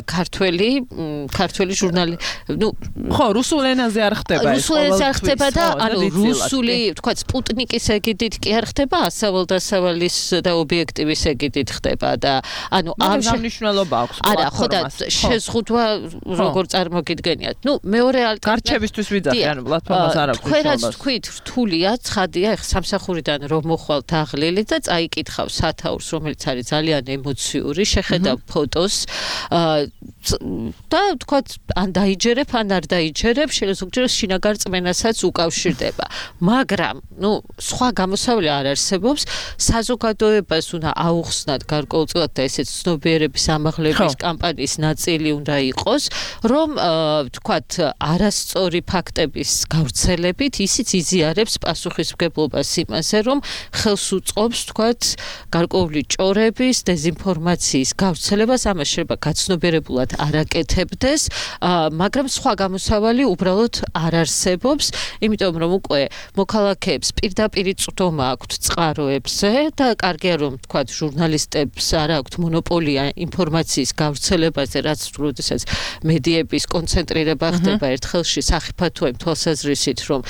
S3: ქართველი ქართველი ჟურნალი. ნუ
S2: ხო, რუსულ ენაზე არ ხდება ეს.
S3: რუსულ ენაზე არ ხდება და ანუ რუსული, ვთქვათ, სპუტნიკის ეგიდით კი არ ხდება, ასავალ-დასავალის და ობიექტივის ეგიდით ხდება და ანუ
S2: ამ მნიშვნელობა აქვს პლატფორმას.
S3: არა, ხო და შეზღუდვა როგორ წარმოგიდგენიათ. ნუ მეორე ალტერნატივა
S2: გარჩევისთვის ვიძახი, ანუ პლატფორმას არ აქვს მნიშვნელობა.
S3: თქვენ რაც თქვით, რთულია, ცხადია, ეხლა სამსახურიდან რომ მოხვალთ აღლილი და წაიკითხავ სათაურს, რომელიც არის ძალიან ემოციური, შეხედავ ფოტოს და თქვათ, ან დაიჯერებ, ან არ დაიჯერებ, შეიძლება ზოგჯერ შინაგან რწმენასაც უკავშირდება. მაგრამ, ნუ, სხვა გამოსავალი არ არსებობს, საზოგადოებას უნდა აუხსნათ გარკვეულწილად და ესეც ცნობიერების ამაღლების კამპანიის ნაწილი უნდა იყოს, რომ თქვათ, არასწორი ფაქტების გავრცელებით ისიც იზიარებს პასუხისმგებლობას იმაზე, რომ ხელს უწყობს, თქვათ, გარკვეული ჭორების, დეზინფორმაციის გავრცელებას, ამას შეიძლება გაცნობიერებულად არ აკეთებდეს, მაგრამ სხვა გამოსავალი უბრალოდ არ არსებობს, იმიტომ რომ უკვე მოქალაქეებს პირდაპირ წვდომა აქვთ წყაროებზე და კარგია რომ თქვათ ჟურნალისტებს არ აქვთ მონოპოლია ინფორმაციის გავრცელებაზე, რაც როდესაც მედიების კონცენტრირება ხდება ერთ ხელში სახიფათო იმ თვალსაზრისით, რომ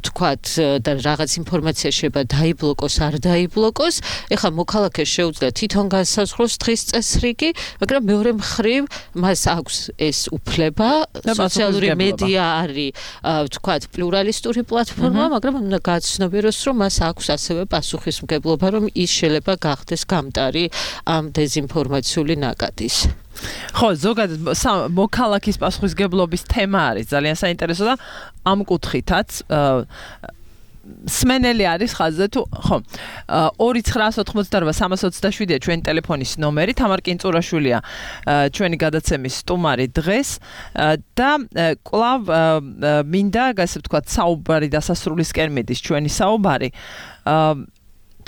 S3: თქვათ და რაღაც ინფორმაცია შეიძლება დაიბლოკოს, არ დაიბლოკოს, ეხლა მოქალაქეს შეუძლია თვითონ განსაზღვროს დღის წესრიგი, მაგრამ მეორე მხრივ მას აქვს ეს უფლება, სოციალური მედია არის ვთქვათ პლურალისტური პლატფორმა, მაგრამ უნდა გაცნობიეროს, რომ მას აქვს ასევე პასუხისმგებლობა, რომ ის შეიძლება გახდეს გამტარი ამ დეზინფორმაციული ნაკადის.
S2: ხო, ზოგადად მოქალაქის პასუხისმგებლობის თემა არის ძალიან საინტერესო და ამ კუთხითაც სმენელი არის ხაზზე თუ ხო ორი ცხრა ოთხმოცდარვა სამას ოცდაშვიდია ჩვენი ტელეფონის ნომერი. თამარ კინწურაშვილია ჩვენი გადაცემის სტუმარი დღეს და კვლავ მინდა ასე ვთქვათ საუბარი დასასრულისკენ მიდის ჩვენი საუბარი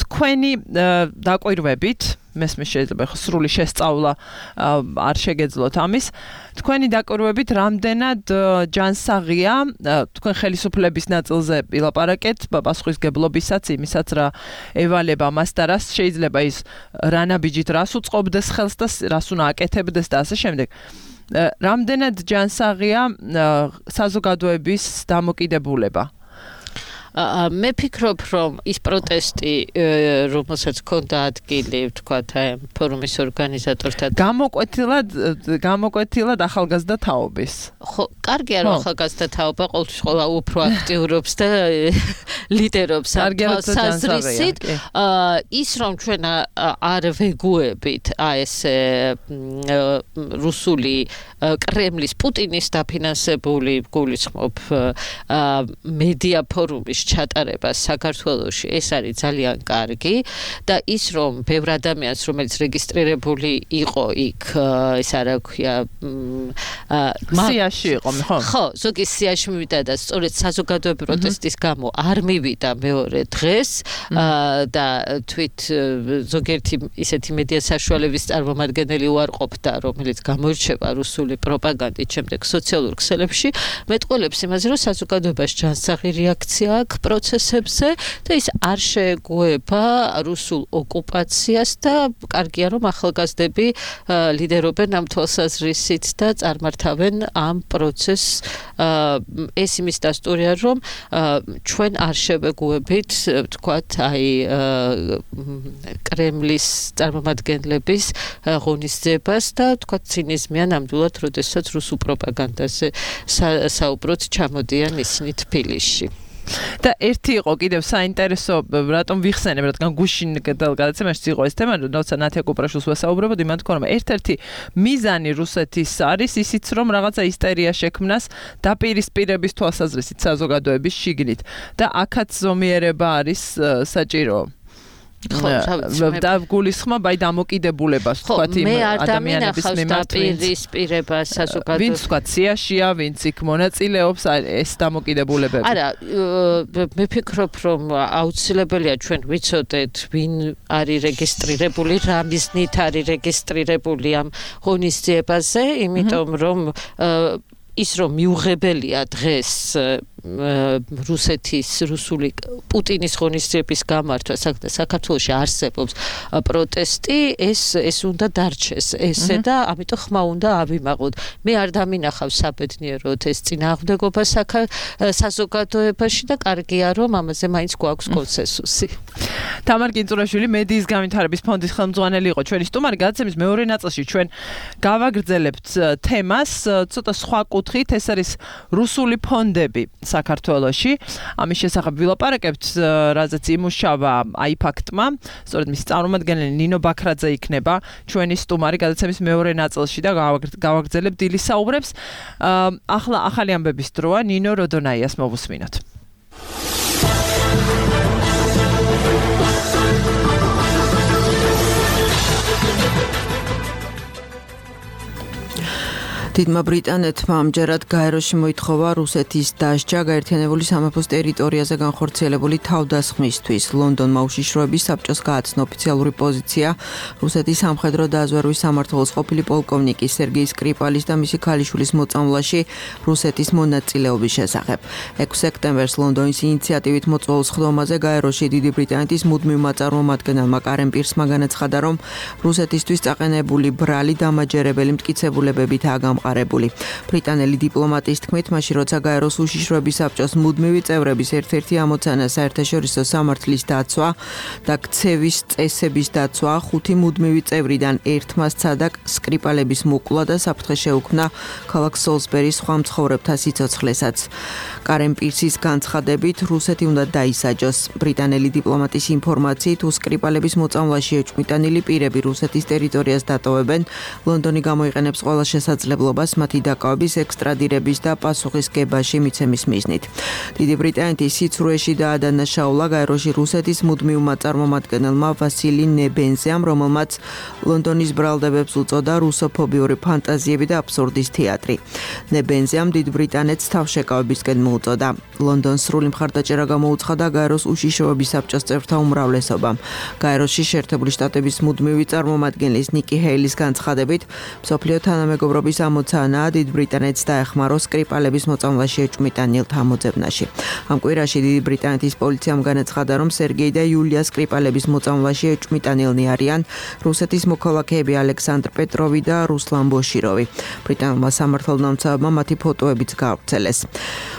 S2: თქვენი დაკვირვებით, მესმის შეიძლება ხო სრული შესწავლა არ შეგეძლოთ ამის. თქვენი დაკვირვებით რამდენად ჯანსაღია თქვენ ხელისუფლების ნაწილზე ილაპარაკეთ პასუხისმგებლობისაც, იმისაც რა ევალება მას და რას შეიძლება ის რანაბიჯით რას უწყობდეს ხელს და რას უნდა აკეთებდეს და ასე შემდეგ. რამდენად ჯანსაღია საზოგადოების დამოკიდებულება?
S3: მე ფიქრობ, რომ ის პროტესტი, რომელსაც ჰქონდა ადგილი, ვთქვათ, აი ფორუმის ორგანიზატორთან
S2: გამოკვეთილად გამოკვეთილად ახალგაზრდა თაობის.
S3: ხო, კარგია რომ ახალგაზრდა თაობა ყოველთვის ყველა უფრო აქტიურობს და ლიდერობს საზრისით. ის რომ ჩვენ არ ვეგუებით აი ესე რუსული კრემლის პუტინის დაფინანსებული გულისხმობ მედია ფორუმის ჩატარება საქართველოში ეს არის ძალიან კარგი და ის რომ ბევრ ადამიანს რომელიც რეგისტრირებული იყო იქ ეს არა ქვია
S2: სიაში იყო ხო
S3: ხო ზოგი სიაში მივიდა და სწორედ საზოგადოებრივი პროტესტის გამო არ მივიდა მეორე დღეს და თვით ზოგიერთი ისეთი მედია საშუალებების წარმომადგენელი უარყოფდა რომელიც გამოირჩევა რუსული პროპაგანდით შემდეგ სოციალურ ქსელებში მეტყველებს იმაზე რომ საზოგადოებაში ჯანსაღი რეაქცია აქვს პროცესებზე და ის არ შეეგუება რუსულ ოკუპაციას და კარგია რომ ახალგაზრდები ლიდერობენ ამ თვალსაზრისით და წარმართავენ ამ პროცესს ეს იმის დასტურია რომ ჩვენ არ შევეგუებით ვთქვათ აი კრემლის წარმომადგენლების ღონისძიებას და ვთქვათ ცინიზმია ნამდვილად როდესაც რუსულ პროპაგანდაზე საუბრობთ ჩამოდიან ისინი თბილისში
S2: და ერთი იყო კიდევ საინტერესო რატომ ვიხსენებ რადგან გუშინ გადაცემაში იყო ეს თემა როცა ნათია კუპრაშვილს ვესაუბრებოდი მან თქვა რომ ერთ-ერთი მიზანი რუსეთის არის ისიც რომ რაღაცა ისტერია შექმნას დაპირისპირების თვალსაზრისით საზოგადოების შიგნით და აქაც ზომიერება არის საჭირო და გულისხმობ აი დამოკიდებულებას თქვათ იმ ადამიანების მიმართ
S3: დაპირისპირება საზოგადოების
S2: ვინც თქვათ სიაშია ვინც იქ მონაწილეობს ეს დამოკიდებულებები
S3: არა მე ფიქრობ რომ აუცილებელია ჩვენ ვიცოდეთ ვინ არის რეგისტრირებული რა მიზნით არის რეგისტრირებული ამ ღონისძიებაზე იმიტომ რომ ის რომ მიუღებელია დღეს რუსეთის რუსული პუტინის ღონისძიების გამართვა საქართველოში არსებობს პროტესტი ეს ეს უნდა დარჩეს ესე და ამიტომ ხმა უნდა ავიმაღოთ მე არ დამინახავს საბედნიეროდ ეს წინააღმდეგობა საზოგადოებაში და კარგია რომ ამაზე მაინც გვაქვს კონსენსუსი
S2: თამარ კინწურაშვილი მედიის განვითარების ფონდის ხელმძღვანელი იყო ჩვენი სტუმარი გადაცემის მეორე ნაწილში ჩვენ გავაგრძელებთ თემას ცოტა სხვა კუთხით ეს არის რუსული ფონდები საქართველოში ამის შესახებ ვილაპარაკებთ რაზეც იმუშავა აიფაქტმა სწორედ მისი წარმომადგენელი ნინო ბაქრაძე იქნება ჩვენი სტუმარი გადაცემის მეორე ნაწილში და გავაგრძელებთ დილის საუბრებს ახლა ახალი ამბების დროა ნინო როდონაიას მოვუსმინოთ
S4: დიდმა ბრიტანეთმა ამჯერად გაეროში მოითხოვა რუსეთის დასჯა გაერთიანებული სამეფოს ტერიტორიაზე განხორციელებული თავდასხმისთვის. ლონდონმა უშიშროების საბჭოს გააცნო ოფიციალური პოზიცია რუსეთის სამხედრო დაზვერვის სამმართველოს ყოფილი პოლკოვნიკი სერგეი სკრიპალის და მისი ქალიშვილის მოწამვლაში რუსეთის მონაწილეობის შესახებ. ექვსი სექტემბერს ლონდონის ინიციატივით მოწვეულ სხდომაზე გაეროში დიდი ბრიტანეთის მუდმივმა წარმომადგენელმა კარენ პირსმა განაცხადა, რომ რუსეთისთვის წაყენებული ბრალი დამაჯერებელი მტკიცებულებებითაა გამყარებული. ბრიტანელი დიპლომატის თქმით, მაშინ როცა გაეროს უშიშროების საბჭოს მუდმივი წევრების ერთ-ერთი ამოცანა საერთაშორისო სამართლის დაცვა და ქცევის წესების დაცვა, ხუთი მუდმივი წევრიდან ერთმა სცადა სკრიპალების მოკვლა და საფრთხე შეუქმნა ქალაქ სოლსბერის სხვა მცხოვრებთა სიცოცხლესაც. კარენ პირსის განცხადებით, რუსეთი უნდა დაისაჯოს. ბრიტანელი დიპლომატის ინფორმაციით, სკრიპალების მოწამვლაში ეჭვმიტანილი პირები რუსეთის ტერიტორიას დატოვებენ, ლონდონი გამოიყენებს ყველა შესაძლებლობას მათი დაკავების ექსტრადირების და პასუხისგებაში მიცემის მიზნით. დიდი ბრიტანეთის სიცრუეში დაადანაშაულა გაეროში რუსეთის მუდმივმა წარმომადგენელმა ვასილი ნებენზიამ, რომელმაც ლონდონის ბრალდებებს უწოდა რუსოფობიური ფანტაზიები და აბსურდის თეატრი. ნებენზიამ დიდ ბრიტანეთს თავშეკავებისკენ მოუწოდა. ლონდონს სრული მხარდაჭერა გამოუცხადა გაეროს უშიშროების საბჭოს წევრთა უმრავლესობამ. გაეროში შეერთებული შტატების მუდმივი წარმომადგენლის ნიკი ჰეილის განცხადებით, მსოფლიო თანამეგობრობის გამოცანა დიდ ბრიტანეთს დაეხმარო სკრიპალების მოწამვლაში ეჭვმიტანილთა ამოძებნაში. ამ კვირაში დიდი ბრიტანეთის პოლიციამ განაცხადა, რომ სერგეი და იულია სკრიპალების მოწამვლაში ეჭვმიტანილნი არიან რუსეთის მოქალაქეები ალექსანდრ პეტროვი და რუსლან ბოშიროვი. ბრიტანულმა სამართალდამცავებმა მათი ფოტოებიც გაავრცელეს.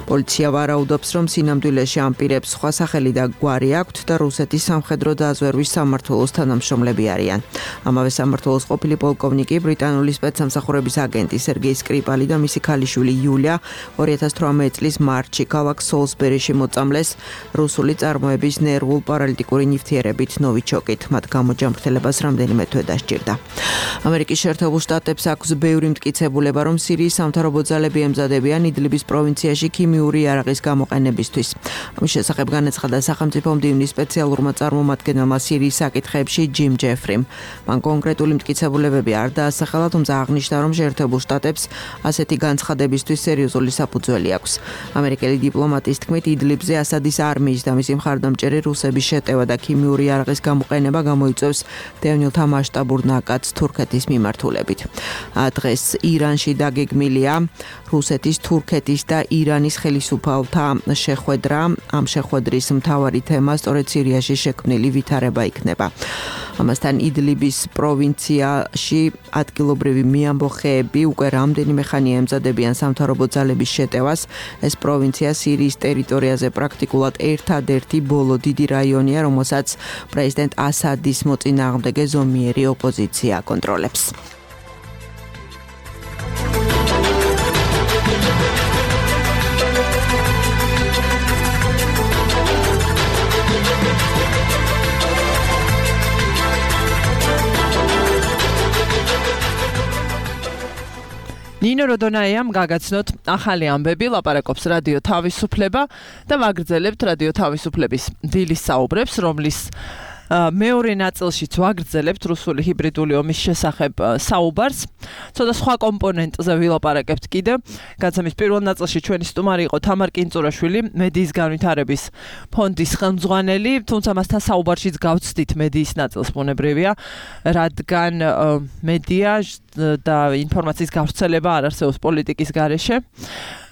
S4: პოლიცია ვარაუდობს, რომ სინამდვილეში ამ პირებს სხვა სახელი და გვარი აქვთ და რუსეთის სამხედრო დაზვერვის სამმართველოს თანამშრომლები არიან. ამავე სამმართველოს ყოფილი პოლკოვნიკი ბრიტანული სპეცსამსახურების აგენტი სერგეი სკრიპალი და მისი ქალიშვილი იულია ორი ათას თვრამეტი წლის მარტში ქალაქ სოლსბერიში მოწამლეს რუსული წარმოების ნერვულ პარალიტიკური ნივთიერებით ნოვიჩოკით. მათ გამოჯამრთელებას რამდენიმე თვე დასჭირდა. ამერიკის შეერთებულ შტატებს აქვს ბევრი მტკიცებულება, რომ სირიის სამთავრობო ძალები ემზადებიან იდლიბის პროვინციაში ქიმიური იარაღის გამოყენებისთვის. ამის შესახებ განაცხადა სახელმწიფო მდივნის სპეციალურმა წარმომადგენელმა სირიის საკითხებში ჯიმ ჯეფრიმ. მან კონკრეტული მტკიცებულებები არ დაასახელა, თუმცა აღნიშნა, რომ შეერთებულ შტატებს ასეთი განცხადებისთვის სერიოზული საფუძველი აქვს. ამერიკელი დიპლომატის თქმით, იდლიბზე ასადის არმიის და მისი მხარდამჭერი რუსების შეტევა და ქიმიური იარაღის გამოყენება გამოიწვევს დევნილთა მასშტაბურ ნაკადს თურქეთის მიმართულებით. დღეს ირანში დაგეგმილია რუსეთის, თურქეთის და ირანის ხელისუფალთა შეხვედრა. ამ შეხვედრის მთავარი თემა სწორედ სირიაში შექმნილი ვითარება იქნება. ამასთან იდლიბის პროვინციაში ადგილობრივი მიამბოხეები უკვე რამდენიმე ხანია ემზადებიან სამთავრობო ძალების შეტევას. ეს პროვინცია სირიის ტერიტორიაზე პრაქტიკულად ერთადერთი ბოლო დიდი რაიონია, რომელსაც პრეზიდენტ ასადის მოწინააღმდეგე ზომიერი ოპოზიცია აკონტროლებს.
S2: ნინო როდონაიამ გაგაცნოთ ახალი ამბები, ლაპარაკობს რადიო თავისუფლება და ვაგრძელებთ რადიო თავისუფლების დილის საუბრებს, რომლის მეორე ნაწილშიც ვაგრძელებთ რუსული ჰიბრიდული ომის შესახებ საუბარს. ცოტა სხვა კომპონენტზე ვილაპარაკებთ კიდევ. გადაცემის პირველ ნაწილში ჩვენი სტუმარი იყო თამარ კინწურაშვილი, მედიის განვითარების ფონდის ხელმძღვანელი, თუმცა მასთან საუბარშიც გავცდით მედიის ნაწილს ბუნებრივია, რადგან მედია და ინფორმაციის გავრცელება არ არსებობს პოლიტიკის გარეშე.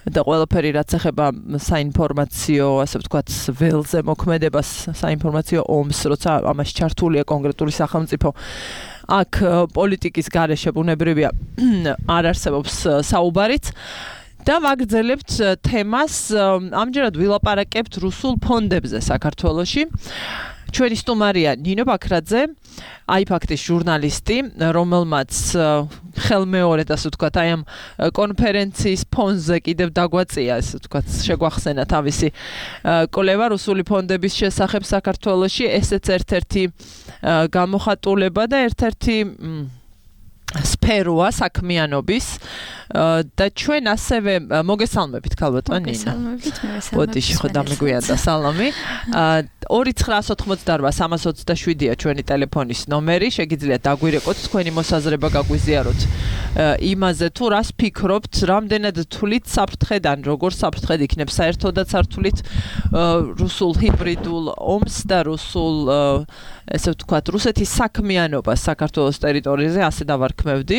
S2: და ყველაფერი რაც ეხება საინფორმაციო, ასე ვთქვათ, ველზე მოქმედებას, საინფორმაციო ომს, როცა ამაში ჩართულია კონკრეტული სახელმწიფო, აქ პოლიტიკის გარეშე ბუნებრივია არ არსებობს საუბარიც. და ვაგრძელებთ თემას, ამჯერად ვილაპარაკებთ რუსულ ფონდებზე საქართველოში. ჩვენი სტუმარია ნინო ბაქრაძე, აიფაქტის ჟურნალისტი, რომელმაც ხელმეორედ, ასე ვთქვათ, აი ამ კონფერენციის ფონზე კიდევ დაგვაწია, ასე ვთქვათ, შეგვახსენა თავისი კვლევა რუსული ფონდების შესახებ საქართველოში. ესეც ერთ-ერთი გამოხატულება და ერთ-ერთი სფეროა საქმიანობის და ჩვენ ასევე მოგესალმებით ქალბატონ ნინო.
S5: მოგესალმებით, მე ვესალმებ.
S2: ბოდიში ხო დამიგვიანდა სალამი. ორი ცხრა ოცდაოთხმოცდარბა სამას ოცდაშვიდია ჩვენი ტელეფონის ნომერი. შეგიძლიათ დაგვირეკოთ თქვენი მოსაზრება გაგვიზიაროთ იმაზე თუ რას ფიქრობთ, რამდენად თვლით საფრთხედან, როგორ საფრთხედ იქნებს საერთოდაც არ თვლით რუსულ ჰიბრიდულ ომს და რუსულ ესე ვთქვათ, რუსეთის საქმიანობას საქართველოს ტერიტორიაზე, ასე დავარქმევდი.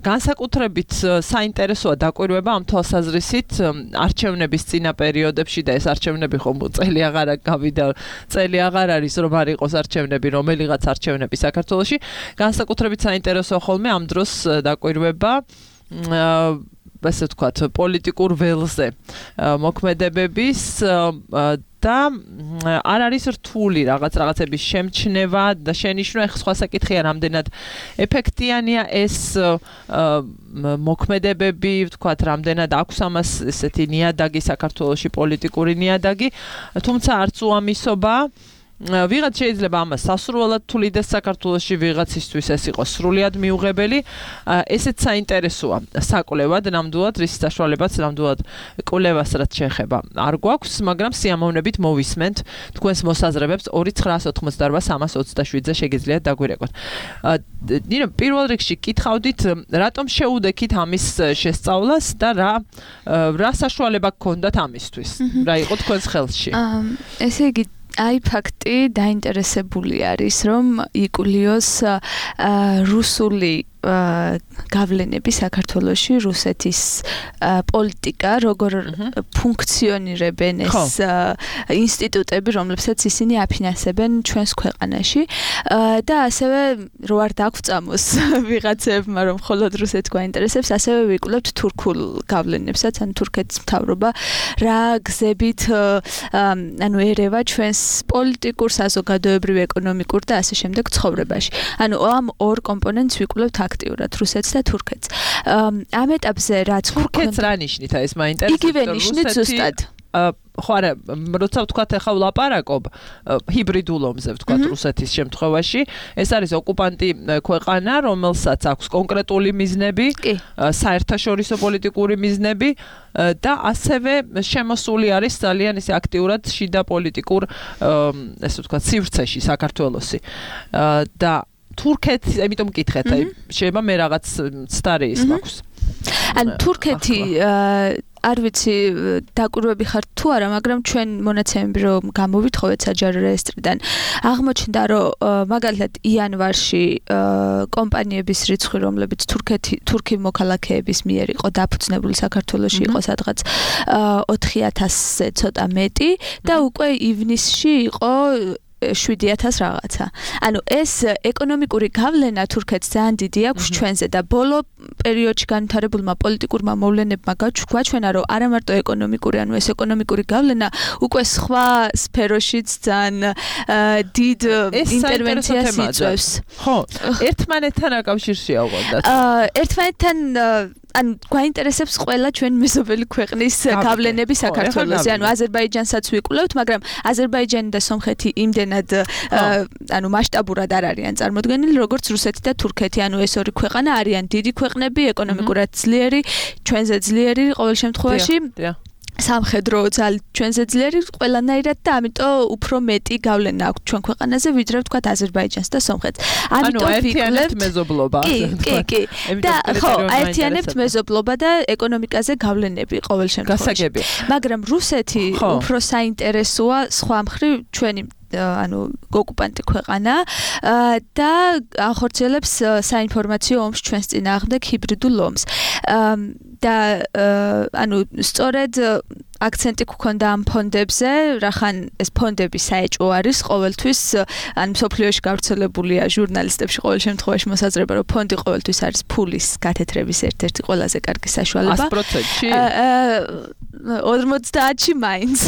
S2: განსაკუთრებით საინტერესოა დაკვირვება ამ თვალსაზრისით არჩევნების წინა პერიოდებში და ეს არჩევნები ხომ წელი აღარ გავიდა, წელი აღარ არის რომ არ იყოს არჩევნები, რომელიღაც არჩევნები საქართველოში. განსაკუთრებით საინტერესოა ხოლმე ამ დროს დაკვირვება ასე ვთქვათ, პოლიტიკურ ველზე მოქმედებების და არ არის რთული რაღაც რაღაცების შემჩნევა და შენიშვნა. ეხლა სხვა საკითხია, რამდენად ეფექტიანია ეს მოქმედებები, ვთქვათ, რამდენად აქვს ამას ესეთი ნიადაგი საქართველოში, პოლიტიკური ნიადაგი, თუმცა არც უამისობა. ვიღაც შეიძლება ამას სასურველად თulides საქართველოში, ვიღაცისთვის ეს იყოს სრულიად მიუღებელი. ესეც საინტერესოა საკვლევად, ნამდვილად რის საშუალებაც, ნამდვილად კვლევას რაც შეეხება არ გვაქვს, მაგრამ სიამოვნებით მოვისმენთ თქვენს მოსაზრებებს ორი ცხრა ოცდაოთხმოცდაარბა სამას ოცდაშვიდზე შეგიძლიათ დაგვირეკოთ. ნინო, პირველ რიგში კითხავდით, რატომ შეუდექით ამის შესწავლას და რა რა საშუალება გქონდათ ამისთვის? რა იყო თქვენს ხელში?
S5: ესე იგი აი ფაქტი დაინტერესებული არის, რომ იკულიოს რუსული გავლენები საქართველოში რუსეთის პოლიტიკა, როგორ ფუნქციონირებენ ეს ინსტიტუტები, რომლებსაც ისინი აფინანსებენ ჩვენს ქვეყანაში და ასევე რო არ დაგწამოს ვიღაცებმა რომ მხოლოდ რუსეთს გვაინტერესებს, ასევე ვიკვლევთ თურქულ გავლენებსაც, ან თურქეთის მთავრობა რა გზებით ანუ ერევა ჩვენს პოლიტიკურ, საზოგადოებრივ, ეკონომიკურ და ასე შემდეგ ცხოვრებაში. ანუ ამ ორ კომპონენტს ვიკვლევთ აქტიურად, რუსეთს და თურქეთს. ამ ეტაპზე რაც
S2: თურქეთს რა ნიშნით ეს მაინტერესებს?
S5: იგივე ნიშნით ზუსტად.
S2: ხო არა, როცა ვთქვათ ახლა ვლაპარაკობ ჰიბრიდულ ომზე ვთქვათ რუსეთის შემთხვევაში, ეს არის ოკუპანტი ქვეყანა, რომელსაც აქვს კონკრეტული მიზნები, საერთაშორისო პოლიტიკური მიზნები და ასევე შემოსული არის ძალიან ისე აქტიურად შიდა პოლიტიკურ ესე ვთქვათ სივრცეში საქართველოსი. და თურქეთი, ამიტომ მკითხეთ, აი შეიძლება მე რაღაც ცდარი ის მაქვს.
S5: ან თურქეთი არ ვიცი დაკვირვები ხართ თუ არა, მაგრამ ჩვენ მონაცემები რომ გამოვითხოვეთ საჯარო რეესტრიდან, აღმოჩნდა რომ მაგალითად იანვარში კომპანიების რიცხვი, რომლებიც თურქეთი თურქი მოქალაქეების მიერ იყო დაფუძნებული საქართველოში, იყო სადღაც ოთხი ათასზე ცოტა მეტი და უკვე ივნისში იყო შვიდი ათასი რაღაცა. ანუ ეს ეკონომიკური გავლენა თურქეთს ძალიან დიდი აქვს ჩვენზე და ბოლო პერიოდში განვითარებულმა პოლიტიკურმა მოვლენებმა გაჩვენა, რომ არა მარტო ეკონომიკური, ანუ ეს ეკონომიკური გავლენა უკვე სხვა სფეროშიც ძალიან დიდ ინტერვენციას იწვევს.
S2: ხო, ერთმანეთთან აკავშირშია უყურდათ.
S5: ერთმანეთთან ან გვაინტერესებს ყველა ჩვენ მეზობელი ქვეყნის გავლენები საქართველოში. ანუ აზერბაიჯანსაც ვიკვლევთ, მაგრამ აზერბაიჯანი და სომხეთი იმდენად ანუ მასშტაბურად არ არიან წარმოდგენილი, როგორც რუსეთი და თურქეთი. ანუ ეს ორი ქვეყანა არიან დიდი ქვეყნები, ეკონომიკურად ძლიერი, ჩვენზე ძლიერი ყოველ შემთხვევაში. სამხედრო ძალით ჩვენზე ძლიერი ყველანაირად და ამიტომ უფრო მეტი გავლენა აქვს ჩვენ ქვეყანაზე, ვიდრე ვთქვათ აზერბაიჯანს და სომხეთს.
S2: ამიტომ ვიკვლევთ მეზობლობა.
S5: კი, კი, კი. და ხო, აერთიანებთ მეზობლობა და ეკონომიკაზე გავლენები ყოველ შემთხვევაში. მაგრამ რუსეთი უფრო საინტერესოა სხვა მხრივ ჩვენი ანუ ოკუპანტი ქვეყანა და ახორციელებს საინფორმაციო ომს ჩვენს წინააღმდეგ ჰიბრიდულ ომს. და ანუ სწორედ აქცენტი გქონდა ამ ფონდებზე, რახან ეს ფონდები საეჭვო არის ყოველთვის, ან მსოფლიოში გავრცელებულია ჟურნალისტებში ყოველ შემთხვევაში მოსაზრება, რომ ფონდი ყოველთვის არის ფულის გათეთრების ერთ-ერთი ყველაზე კარგი საშუალება.
S2: ას პროცენტში?
S5: ორმოცდაათში მაინც.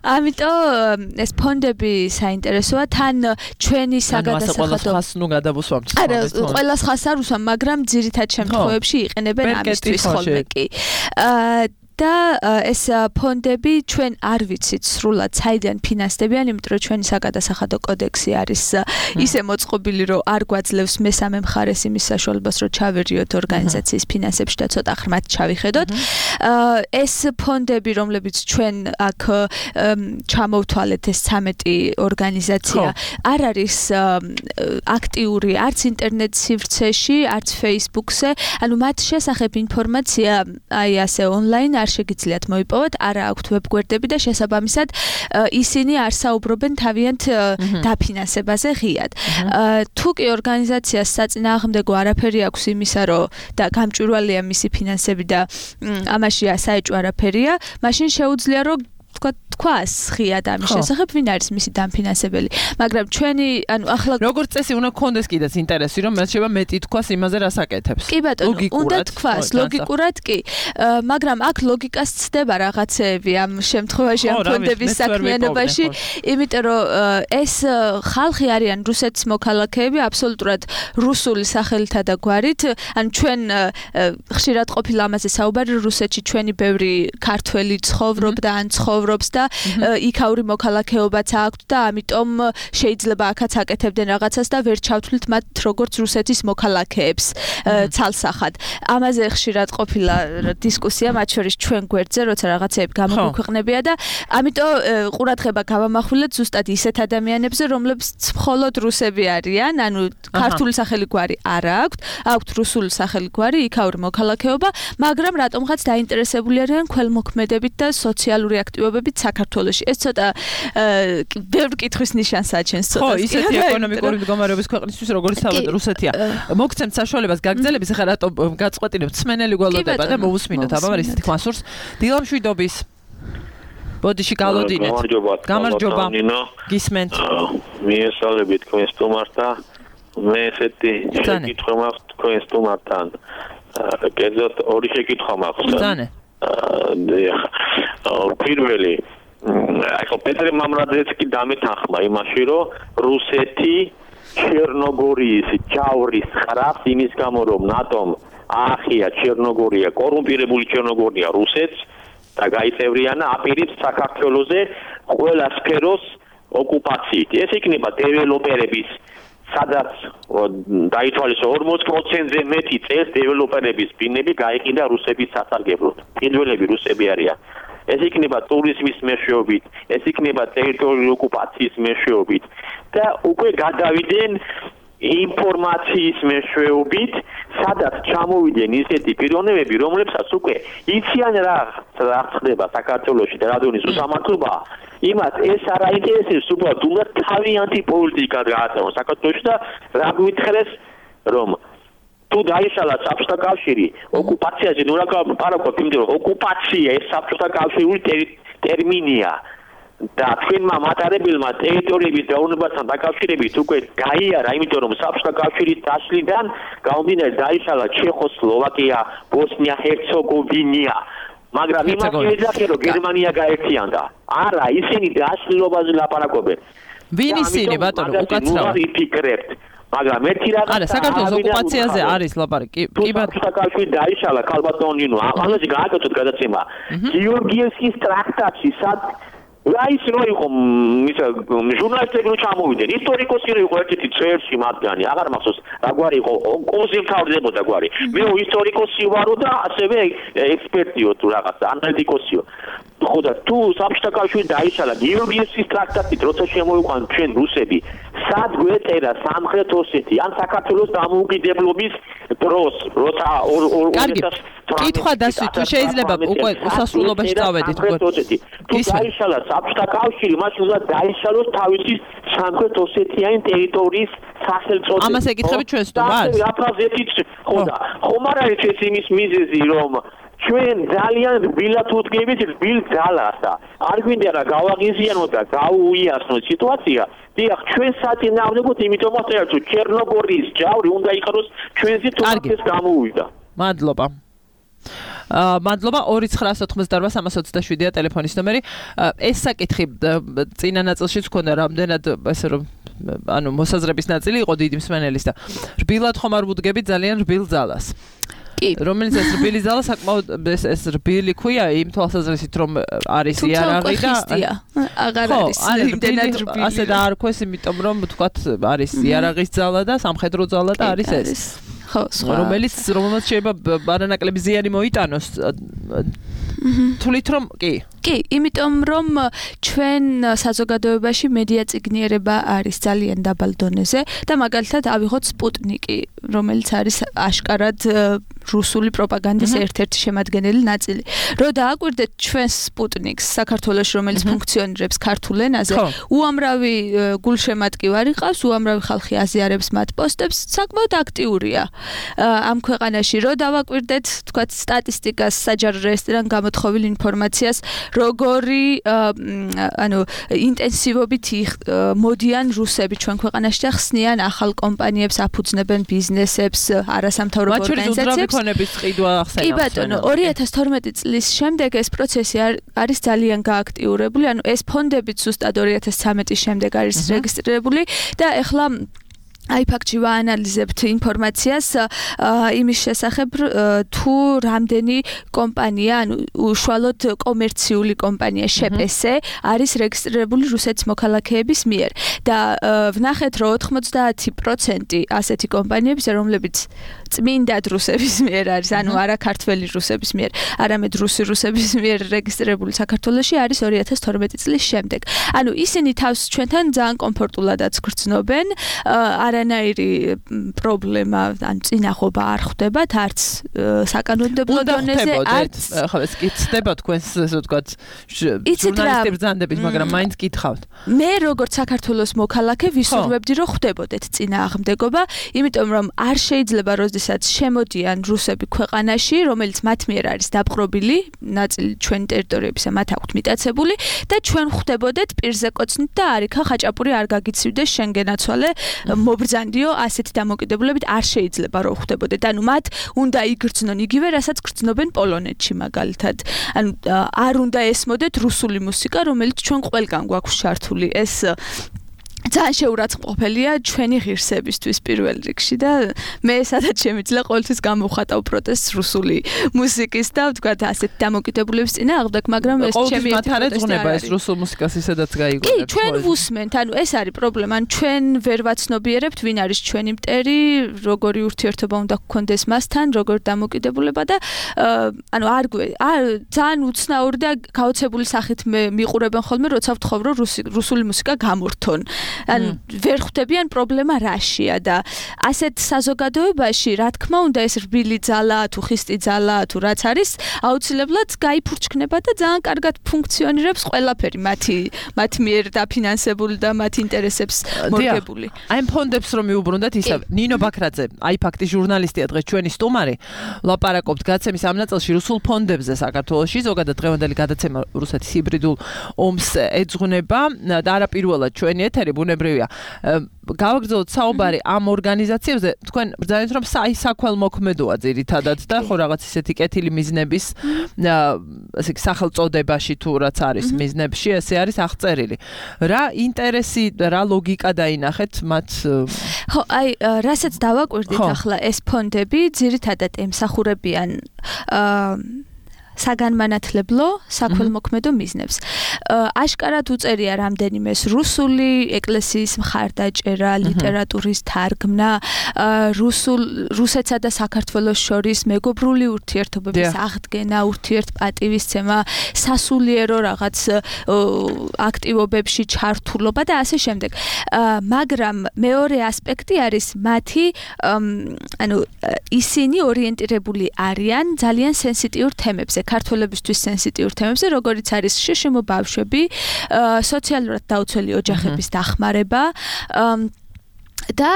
S5: ამიტომ ეს ფონდები საინტერესოა, თან ჩვენი საგადასახადო
S2: ხას ნუ გადავუსვამთ.
S5: არა, ყველას ხას არ უსვამ, მაგრამ ძირითად შემთხვევებში იყენებენ ამისთვის ხოლმე კი. და ეს ფონდები ჩვენ არ ვიცით სრულად საიდან ფინანსდებიან, იმიტომ რომ ჩვენი საგადასახადო კოდექსი არის ისე მოწყობილი, რომ არ გვაძლევს მესამე მხარეს იმის საშუალებას, რომ ჩავერიოთ ორგანიზაციის ფინანსებში და ცოტა ხმად ჩავიხედოთ. ეს ფონდები, რომლებიც ჩვენ აქ ჩამოვთვალეთ, ეს ცამეტი ორგანიზაცია არ არის აქტიური არც ინტერნეტ სივრცეში, არც Facebook-ზე, ანუ მათ შესახებ ინფორმაცია აი ასე ონლაინ არ შეგიძლიათ მოიპოვოთ, არა აქვთ ვებგვერდები და შესაბამისად ისინი არ საუბრობენ თავიანთ დაფინანსებაზე ღიად. თუ კი ორგანიზაციას საწინააღმდეგო არაფერი აქვს იმისა, რომ და გამჭვირვალეა მისი ფინანსები და ამაში საეჭვო არაფერია, მაშინ შეუძლია რომ თქვა თქواس ღიად ამის შესახებ, ვინ არის მისი დამფინანსებელი. მაგრამ ჩვენი, ანუ ახლა
S2: როგორც წესი უნდა გქონდეს კიდეც ინტერესი, რომ მას შეიძლება მეტი თქواس იმაზე რას აკეთებს.
S5: კი ბატონო, უნდა თქواس ლოგიკურად კი. მაგრამ აქ ლოგიკას ცდება რაღაცეები ამ შემთხვევაში ამ ფონდების საქმიანობაში, იმიტომ რომ ეს ხალხი არიან რუსეთის მოქალაქეები, აბსოლუტურად რუსული სახელითა და გვარით, ან ჩვენ ხშირად ყოფილა ამაზე საუბარი, რუსეთში ჩვენი ბევრი ქართველი ცხოვრობდა ან ცხოვრობს და იქაური მოქალაქეობაც აქვს და ამიტომ შეიძლება აქაც აკეთებდნენ რაღაცას და ვერ ჩავთვლით მათ როგორც რუსეთის მოქალაქეებს ცალსახად. ამაზე ხშირად ყოფილა დისკუსია, მათ შორის ჩვენ გვერდზე, როცა რაღაცეები გამოგვიქვეყნებია და ამიტომ ყურადღება გავამახვილეთ ზუსტად ისეთ ადამიანებზე, რომლებიც მხოლოდ რუსები არიან, ანუ ქართული სახელი გვარი არ აქვთ, აქვთ რუსული სახელი გვარი, იქაური მოქალაქეობა, მაგრამ რატომღაც დაინტერესებული არიან ქველმოქმედებით და სოციალური აქტივობებით საქართველოში. საქართველოში. ეს ცოტა ბევრ კითხვის ნიშანს აჩენს ცოტა.
S2: ხო, ისეთი ეკონომიკური მდგომარეობის ქვეყნისთვის როგორც თავად რუსეთია. მოგცემთ საშუალებას გაგრძელების, ახლა რატო გაწყვეტინებთ სმენელი გველოდება და მოусმინოთ აბა ისეთი თქვა სურს. დილამშვიდობის ბოდიში გალოდინეთ. გამარჯობა. გისმენთ.
S6: მიესალმებით თქვენ სტუმართა. მე ესეთი შეკითხვა მაქვს თქვენ სტუმართან. კერძოდ ორი შეკითხვა მაქვს.
S2: ძანე.
S6: პირველი ახლა პეტრე მამრაძეც კი დამეთანხმა იმაში, რომ რუსეთი ჩერნოგორიის ჯავრის ხრავს იმის გამო, რომ ნატომ აახია ჩერნოგორია, კორუმპირებული ჩერნოგორია რუსეთს და გაიწევრიანა აპირებს საქართველოზე ყველა სფეროს ოკუპაციით. ეს იქნება დეველოპერების სადაც დაითვალისო ორმოც პროცენტზე მეტი წელს დეველოპერების ბინები გაიყიდა რუსების სასარგებლოდ. პირველები რუსები არიან. ეს იქნება ტურიზმის მეშვეობით, ეს იქნება ტერიტორიული ოკუპაციის მეშვეობით და უკვე გადავიდნენ ინფორმაციის მეშვეობით, სადაც ჩამოვიდნენ ისეთი პიროვნებები, რომლებსაც უკვე იციან რა რა ხდება საქართველოში და რადონის უსამართლობა, იმათ ეს არ აინტერესებს უბრალოდ უნდა თავიანთი პოლიტიკა გაატარონ საქართველოში და რა გვითხრეს რომ თუ დაიშალა საბჭოთა კავშირი ოკუპაციაზე ნუ რა პარაკოთ იმიტომ რომ ოკუპაცია ეს საბჭოთა კავშირული ტერმინია და თქვენმა მატარებელმა ტერიტორიების დაუბრუნებასთან დაკავშირებით უკვე გაიარა იმიტომ რომ საბჭოთა კავშირის დაშლიდან გამომდინარე დაიშალა ჩეხოსლოვაკია, ბოსნია-ჰერცეგოვინა მაგრამ იმას ეძახე რომ გერმანია გაერთიანდა არა ისინი დაშლილობაზე ლაპარაკობენ
S2: ვინ ისინი ბატონო უკაცრავად
S6: იფიქრებთ მაგრამ ერთი რაღაც
S2: არა საქართველოს ოკუპაციაზე არის ლაპარაკი კი
S6: საბჭოთა კავშირი დაიშალა ქალბატონინო ამაზე გააკეთოთ გადაცემა გიორგიევსკის ტრაქტატში სად რა ის რო იყო ისა ჟურნალისტები რო ჩამოვიდნენ ისტორიკოსი რო იყო ერთ-ერთი წევრი მათგანი აღარ მახსოვს რა გვარი იყო კონსი მთავრდებოდა გვარი მე ისტორიკოსი ვარო და ასევე ექსპერტიო თუ რაღაცა ანალიტიკოსიო ხო და თუ საბჭოთა კავშირი დაიშალა გიორგიევსკის ტრაქტატით როცა შემოიყვანთ ჩვენ რუსები სად გვეწერა სამხრეთ ოსეთი ან საქართველოს დამოუკიდებლობის დროს როცა
S2: კარგი კითხვა დასვით თუ შეიძლება უკვე უსასრულობაში წავედით
S6: თუ დაიშალა საბჭოთა კავშირი მაშინ უნდა დაიშალოს თავისი სამხრეთ ოსეთიანი ტერიტორიის სახელმწიფო
S2: ამას ეკითხებით ჩვენ სტუმარს
S6: რა ფრაზებით ხო და ხომ არ არის ეს იმის მიზეზი რომ ჩვენ ძალიან რბილად უდგებით რბილ ძალას და არ გვინდა რა გავაღიზიანოთ და გაუიასნოთ სიტუაცია დიახ ჩვენ საწინააღმდეგოდ იმიტომაც ერთ ჩერნოგორიის ჯავრი უნდა იყაროს ჩვენზე თუნდაც გამოუვიდა
S2: მადლობა აა მადლობა ორი ცხრაასი ოცდაოთხმოცდაოთხ სამას ოცდაშვიდია ტელეფონის ნომერი ეს საკითხი წინა ნაწილშიც ქონდა რამდენად ესე რომ ანუ მოსაზრების ნაწილი იყო დიდი მსმენელის და რბილად ხომ არ ვუდგებით ძალიან რბილ ძალას რომელიც ეს რბილი ზალა საკმაოდ ეს ეს რბილი ქვია იმ თვალსაზრისით რომ არის იარაღი და
S5: აღარ არის იმდენად რბილი
S2: ასე და არ ქვეს იმიტომ რომ თქვათ არის იარაღის ზალა და სამხედრო ზალა და არის ეს
S5: ხო სხვა
S2: რომელიც რომელსაც შეიძლება ბარანაკლები ზიანი მოიტანოს თulit რომ კი
S5: კი იმიტომ რომ ჩვენ საზოგადოებაში მედია წიგნიერება არის ძალიან დაბალ დონეზე და მაგალითად ავიღოთ სპუტნიკი რომელიც არის აშკარად რუსული პროპაგანდის ერთ-ერთი შემადგენელი ნაწილი. რო დააკვირდეთ ჩვენს სპუტნიკს საქართველოს რომელიც ფუნქციონირებს ქართულ ენაზე, უამრავი გულშემატკივარი ყავს, უამრავი ხალხი აზიარებს მათ პოსტებს, საკმაოდ აქტიურია ამ ქვეყანაში. რო დავაკვირდეთ, თქვათ სტატისტიკას, საჯარო რეესტრიდან გამოთხოვილ ინფორმაციას, როგორი ანუ ინტენსივობით მოდიან რუსები ჩვენ ქვეყანაში და ხსნიან ახალ კომპანიებს, აფუძნებენ ბიზნესებს, არასამთავრობო ორგანიზაციებს. კი ბატონო, ორი ათას თორმეტი წლის შემდეგ ეს პროცესი არის ძალიან გააქტიურებული, ანუ ეს ფონდები ზუსტად ორი ათას ცხრამეტის შემდეგ არის რეგისტრირებული და ეხლა აი ფაქტში ვაანალიზებთ ინფორმაციას იმის შესახებ თუ რამდენი კომპანია, ანუ უშუალოდ კომერციული კომპანია შეპესე არის რეგისტრირებული რუსეთის მოქალაქეების მიერ და ვნახეთ რომ ოთხმოცდაათი პროცენტი ასეთი კომპანიების რომლებიც წმინდად რუსების მიერ არის, ანუ არა ქართველი რუსების მიერ, არამედ რუსი რუსების მიერ რეგისტრირებული საქართველოში არის ორი ათას თორმეტი წლის შემდეგ. ანუ ისინი თავს ჩვენთან ძალიან კომფორტულადაც გრძნობენ, არანაირი პრობლემა ან წინახობა არ ხდებათ არც საკანონმდებლო დონეზე არც
S2: ახლა ეს კითხება თქვენს ესე ვთქვათ ჟურნალისტების ბრძანდებით მაგრამ მაინც კითხავთ
S5: მე როგორც საქართველოს მოქალაქე ვისურვებდი რომ ხდებოდეთ წინააღმდეგობა იმიტომ რომ არ შეიძლება როდესაც შემოდიან რუსები ქვეყანაში რომელიც მათ მიერ არის დაპყრობილი ნაწილი ჩვენი ტერიტორიებისა მათ აქვთ მიტაცებული და ჩვენ ხდებოდეთ პირზე კოცნით და არიქა ხაჭაპური არ გაგიცივდეს შენ გენაცვალე მობრძანდიო ასეთი დამოკიდებულებით არ შეიძლება რომ ხდებოდეთ ანუ მათ უნდა იგრძნონ იგივე რასაც გრძნობენ პოლონეთში მაგალითად ანუ არ უნდა ესმოდეთ რუსული მუსიკა რომელიც ჩვენ ყველგან გვაქვს ჩართული ეს ძალიან შეურაცხმყოფელია ჩვენი ღირსებისთვის პირველ რიგში და მე სადაც შემიძლია ყოველთვის გამოვხატავ პროტესტს რუსული მუსიკის და ვთქვათ ასეთ დამოკიდებულების წინააღმდეგ, მაგრამ ეს ჩემი
S2: პროტესტი არის რუსულ მუსიკას ისედაც გაიგონებთ.
S5: კი, ჩვენ ვუსმენთ, ანუ ეს არის პრობლემა, ან ჩვენ ვერ ვაცნობიერებთ ვინ არის ჩვენი მტერი, როგორი ურთიერთობა უნდა გქონდეს მასთან, როგორი დამოკიდებულება და ანუ არ ძალიან უცნაური და გაოცებული სახით მიყურებენ ხოლმე, როცა ვთხოვ რომ რუსული მუსიკა გამორთონ. ან ვერ ხვდებიან პრობლემა რაშია და ასეთ საზოგადოებაში რა თქმა უნდა ეს რბილი ძალა თუ ხისტი ძალა თუ რაც არის აუცილებლად გაიფურჩქნება და ძალიან კარგად ფუნქციონირებს ყველაფერი მათი მათ მიერ დაფინანსებული და მათ ინტერესებს მორგებული.
S2: აი ამ ფონდებს რომ მიუბრუნდეთ ისა ნინო ბაქრაძე აი ფაქტი ჟურნალისტია დღეს ჩვენი სტუმარი ლაპარაკობთ გაცემის ამ ნაწილში რუსულ ფონდებზე საქართველოში ზოგადად დღევანდელი გადაცემა რუსეთის ჰიბრიდულ ომს ეძღვნება და არაპირველად ჩვენი ეთერი ბუნებრივია. გავაგრძელოთ საუბარი ამ ორგანიზაციებზე. თქვენ ბრძანეთ რომ საქველმოქმედოა ძირითადად და ხო რაღაც ისეთი კეთილი მიზნების ასე სახელწოდებაში თუ რაც არის მიზნებში ესე არის აღწერილი. რა ინტერესი, რა ლოგიკა დაინახეთ მათ?
S5: ხო, აი, რასაც დავაკვირდით ახლა ეს ფონდები ძირითადად ემსახურებიან აა საგანმანათლებლო საქველმოქმედო მიზნებს. აშკარად უწერია რამდენიმეს რუსული ეკლესიის მხარდაჭერა, ლიტერატურის თარგმნა, რუსულ რუსეთსა და საქართველოს შორის მეგობრული ურთიერთობების აღდგენა, ურთიერთპატივისცემა, სასულიერო რაღაც აქტივობებში ჩართულობა და ასე შემდეგ. მაგრამ მეორე ასპექტი არის მათი ანუ ისინი ორიენტირებული არიან ძალიან სენსიტიურ თემებზე. ქართველებისთვის სენსიტიურ თემებზე, როგორიც არის შშმ ბავშვები, სოციალურად დაუცველი ოჯახების დახმარება და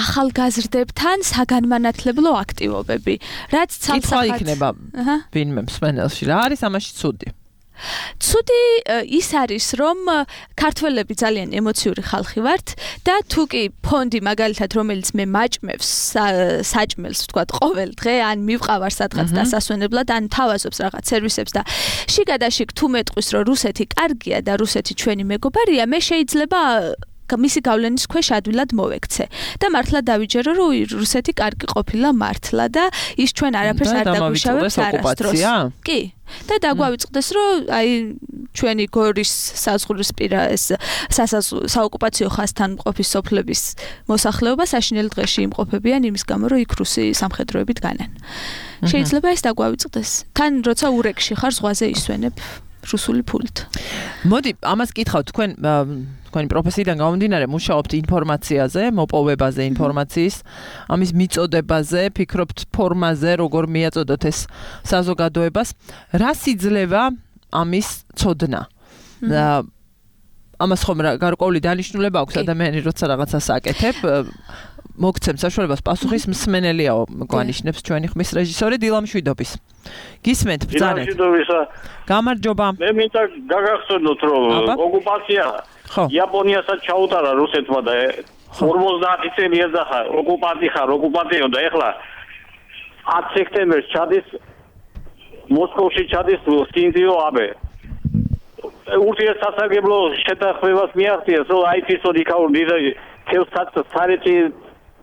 S5: ახალგაზრდებთან საგანმანათლებლო აქტივობები. რაც
S2: ცალსახად იქნება ვინმე მსმენელში რა არის ამაში ცუდი?
S5: ცუდი ის არის რომ ქართველები ძალიან ემოციური ხალხი ვართ და თუ კი ფონდი მაგალითად რომელიც მე მაჭმევს საჭმელს ვთქვათ ყოველ დღე ან მივყავარ სადღაც დასასვენებლად ან თავაზობს რაღაც სერვისებს და შიგადაშიგ თუ მეტყვის რომ რუსეთი კარგია და რუსეთი ჩვენი მეგობარია მე შეიძლება მისი გავლენის ქვეშ ადვილად მოვექცე და მართლა დავიჯერო რომ რუსეთი კარგი ყოფილა მართლა და ის ჩვენ არაფერს არ დაგვიშავებს არასდროს. კი და დაგვავიწყდეს რომ აი ჩვენი გორის საზღვრისპირა ეს საოკუპაციო ხაზთან მყოფი სოფლების მოსახლეობა საშინელ დღეში იმყოფებიან იმის გამო რომ იქ რუსი სამხედროებით განან. შეიძლება ეს დაგვავიწყდეს. თან როცა ურეკში ხარ ზღვაზე ისვენებ რუსული ფულით.
S2: მოდი ამას კითხავ თქვენ თქვენი პროფესიიდან გამომდინარე მუშაობთ ინფორმაციაზე, მოპოვებაზე ინფორმაციის, ამის მიწოდებაზე, ფიქრობთ ფორმაზე, როგორ მიაწოდოთ ეს საზოგადოებას, რა სიძლევა ამის ცოდნა? ამას ხომ გარკვეული დანიშნულება აქვს ადამიანი როცა რაღაცას აკეთებ, მოგცემ საშუალებას პასუხის მსმენელიაო გვანიშნებს ჩვენი ხმის რეჟისორი დილა მშვიდობის. გისმენთ ბრძანეთ. გამარჯობა.
S6: მე მინდა გაგახსენოთ რომ ოკუპაცია იაპონიასაც ჩაუტარა რუსეთმა და ორმოცდაათი წელი ეძახა ოკუპანტი ხარ ოკუპანტიო და ეხლა ათი სექტემბერს ჩადის მოსკოვში ჩადის სინძიო აბე ურთიერთსასარგებლო შეთანხმებას მიაღწიეს რომ აი თვითონ იქაური თელსაცარეთი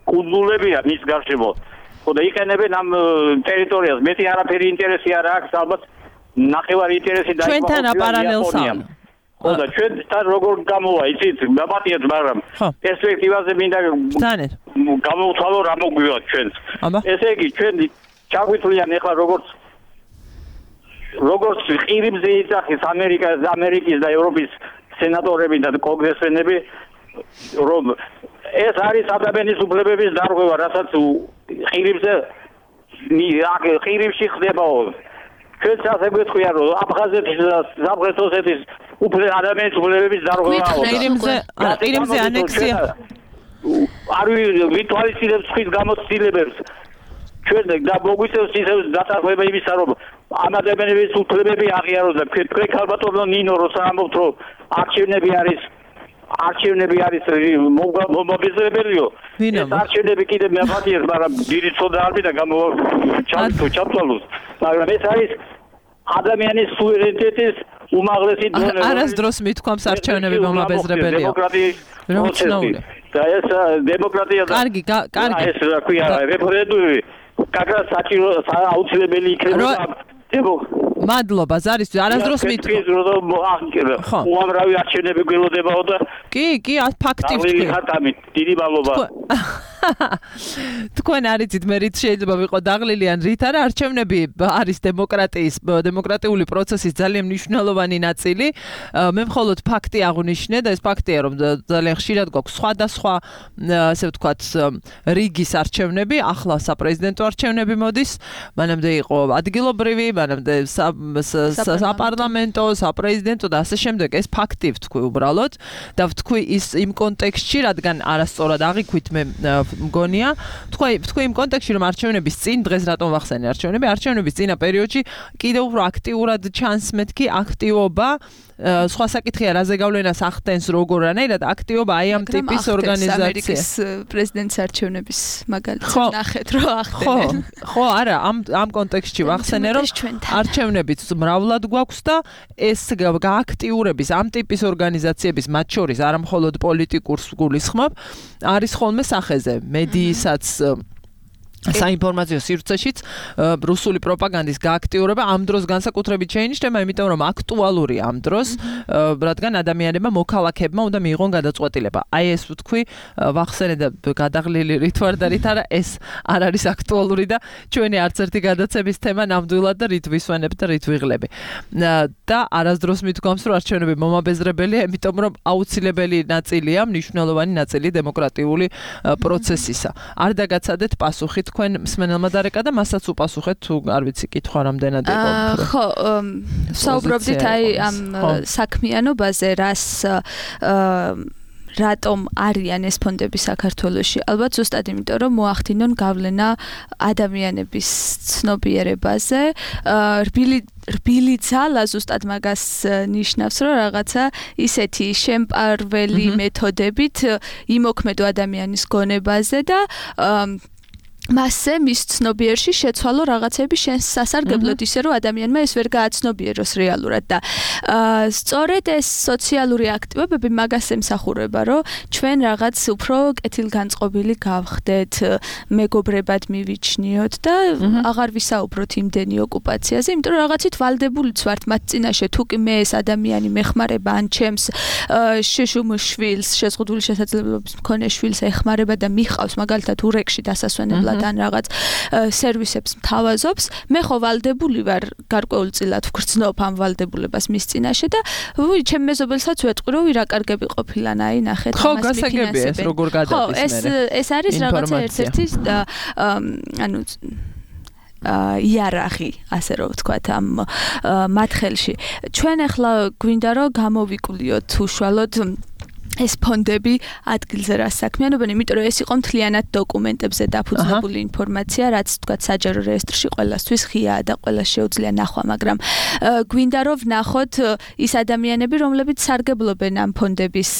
S6: კუნძულებია მის გარშემო ხო და იყენებენ ამ ტერიტორიას მეტი არაფერი ინტერესი არ აქვს ალბათ ნახევარი ინტერესი დაიწყო
S2: ჩვენთან აპარალელს
S6: ხო და ჩვენთან როგორ გამოვა იცით მაპატიეთ მაგრამ პერსპექტივაზე მინდა
S2: ბრძანეთ
S6: გამოვთვალო რა მოგვივა ჩვენს ესე იგი ჩვენ ჩაგვითვლიან ეხლა როგორც როგორც ყირიმზე იძახის ამერიკას ამერიკის და ევროპის სენატორები და კონგრესმენები რომ ეს არის ადამიანის უფლებების დარღვევა, რასაც ხირიბზე ხირიბში ხდებაო. ჩვენ ასე გვეთქვია, რომ აფხაზეთის და სამხრეთ ოსეთის უფლება ადამიანის უფლებების დარღვევაა.
S2: ხირიბზე ხირიბზე ანექსია
S6: არ ვითვალისწინებს ხის გამოცდილებებს. ჩვენ და მოგვიწევს ისე დაწესება იმისა, რომ ამ ადამიანების უფლებები აღიაროს და თქვენ ქალბატონო ნინო როცა ამბობთ, რომ არჩევნები არის არჩევნები არის მომაბეზრებელიო. ეს არჩევნები კიდე მეფატიეს, მაგრამ დიდი ცოდა არ მიდა გამოვჩავთო ჩავთვალოს. მაგრამ ეს არის ადამიანის სუვერენიტეტის უმაღლესი დონე.
S2: არასდროს მithქვამს არჩევნები მომაბეზრებელია.
S6: დემოკრატიის და ეს დემოკრატია და
S2: კარგი, კარგი.
S6: ეს რა ქვია, რეფერენდუმი კაკა საჭირო აუცილებელი იქნება.
S2: მადლობა ზარის არასდროს მithქვამს
S6: რომ უამრავი არჩევნები გველოდებაო და
S2: კი კი ფაქტივ თქვი
S6: ხატამი დიდი მადლობა
S2: თქვენ არიცით მე რით შეიძლება ვიყო დაღლილი ან რით არა არჩევნები არის დემოკრატიის დემოკრატიული პროცესის ძალიან მნიშვნელოვანი ნაწილი მე მხოლოდ ფაქტი აღნიშნე და ეს ფაქტია რომ ძალიან ხშირად გვაქვს სხვადასხვა ასე ვთქვათ რიგის არჩევნები ახლა საპრეზიდენტო არჩევნები მოდის მანამდე იყო ადგილობრივი მანამდე საპარლამენტო საპრეზიდენტო და ასე შემდეგ ეს ფაქტი ვთქვი უბრალოდ და ვთქვი ის იმ კონტექსტში რადგან არასწორად აღიქვით მე მგონია თქვი თქვი იმ კონტექსტში რომ არჩევნების წინ დღეს რატომ ვახსენე არჩევნები არჩევნების წინა პერიოდში კიდევ უფრო აქტიურად ჩანს მეთქი აქტივობა სხვა საკითხია რა ზეგავლენას ახდენს როგორანაირად აქტივობა აი ამ ტიპის ორგანიზაცია
S5: ამერიკის პრეზიდენტის არჩევნების მაგალითად ნახეთ რომ ახდენენ
S2: ხო არა ამ ამ კონტექსტში ვახსენე რომ არჩევნებიც მრავლად გვაქვს და ეს გააქტიურების ამ ტიპის ორგანიზაციების მათ შორის არა მხოლოდ პოლიტიკურს გულისხმობ არის ხოლმე სახეზე მედიისაც საინფორმაციო სივრცეშიც რუსული პროპაგანდის გააქტიურება ამ დროს განსაკუთრებით შეინიშნება, იმიტომ რომ აქტუალურია ამ დროს, რადგან ადამიანებმა მოქალაქეებმა უნდა მიიღონ გადაწყვეტილება. აი ეს ვთქვი, ვახსენე და გადაღლილი რით ვარ და რით არა, ეს არ არის აქტუალური და ჩვენი არც ერთი გადაცემის თემა ნამდვილად და რით ვისვენებ და რით ვიღლები. და არასდროს მithქვამს, რომ არჩევნები მომაბეზრებელია, იმიტომ რომ აუცილებელი ნაწილია, მნიშვნელოვანი ნაწილი დემოკრატიული პროცესისა. არ დაგაცადეთ პასუხი თქვენ მსმენელმა დარეკა და მასაც უპასუხეთ თუ არ ვიცი კითხვა რამდენად იყო
S5: ხო საუბრობდით აი ამ საქმიანობაზე რას რატომ არიან ეს ფონდები საქართველოში ალბათ ზუსტად იმიტომ რომ მოახდინონ გავლენა ადამიანების ცნობიერებაზე რბილი რბილი ძალა ზუსტად მაგას ნიშნავს რომ რაღაცა ისეთი შემპარველი მეთოდებით იმოქმედო ადამიანის გონებაზე და მასზე მის ცნობიერში შეცვალო რაღაცები შენს სასარგებლოდ ისე რომ ადამიანმა ეს ვერ გააცნობიეროს რეალურად და სწორედ ეს სოციალური აქტივობები მაგას ემსახურება რომ ჩვენ რაღაც უფრო კეთილგანწყობილი გავხდეთ მეგობრებად მივიჩნიოთ და აღარ ვისაუბროთ იმდენი ოკუპაციაზე იმიტომ რომ რაღაცით ვალდებულიც ვართ მათ წინაშე თუ კი მე ეს ადამიანი მეხმარება ან ჩემს შეშუმ შვილს შეზღუდული შესაძლებლობის მქონე შვილს ეხმარება და მიყავს მაგალითად ურეკში დასასვენებლად ან რაღაც სერვისებს მთავაზობს, მე ხო ვალდებული ვარ გარკვეულწილად ვგრძნობ ამ ვალდებულებას მის წინაშე და ვუი, ჩემ მეზობელსაც ვეთყვი, რომ რა კარგები ყოფილან, აი ნახეთ,
S2: ამას მიფინანსებენ. ხო, გასაგებია ეს როგორ გადადის მე.
S5: ეს ეს არის რაღაცა ერთ-ერთი ანუ იარაღი, ასე რომ ვთქვათ, ამ მათ ხელში. ჩვენ ახლა გვინდა რომ გამოვიკვლიოთ უშუალოდ ეს ფონდები ადგილზე რა საქმიანობენ, იმიტომ რომ ეს იყო მთლიანად დოკუმენტებზე დაფუძნებული ინფორმაცია, რაც თქვათ საჯარო რეესტრში ყველასთვის ღიაა და ყველას შეუძლია ნახვა, მაგრამ გვინდა რომ ვნახოთ ის ადამიანები, რომლებიც სარგებლობენ ამ ფონდების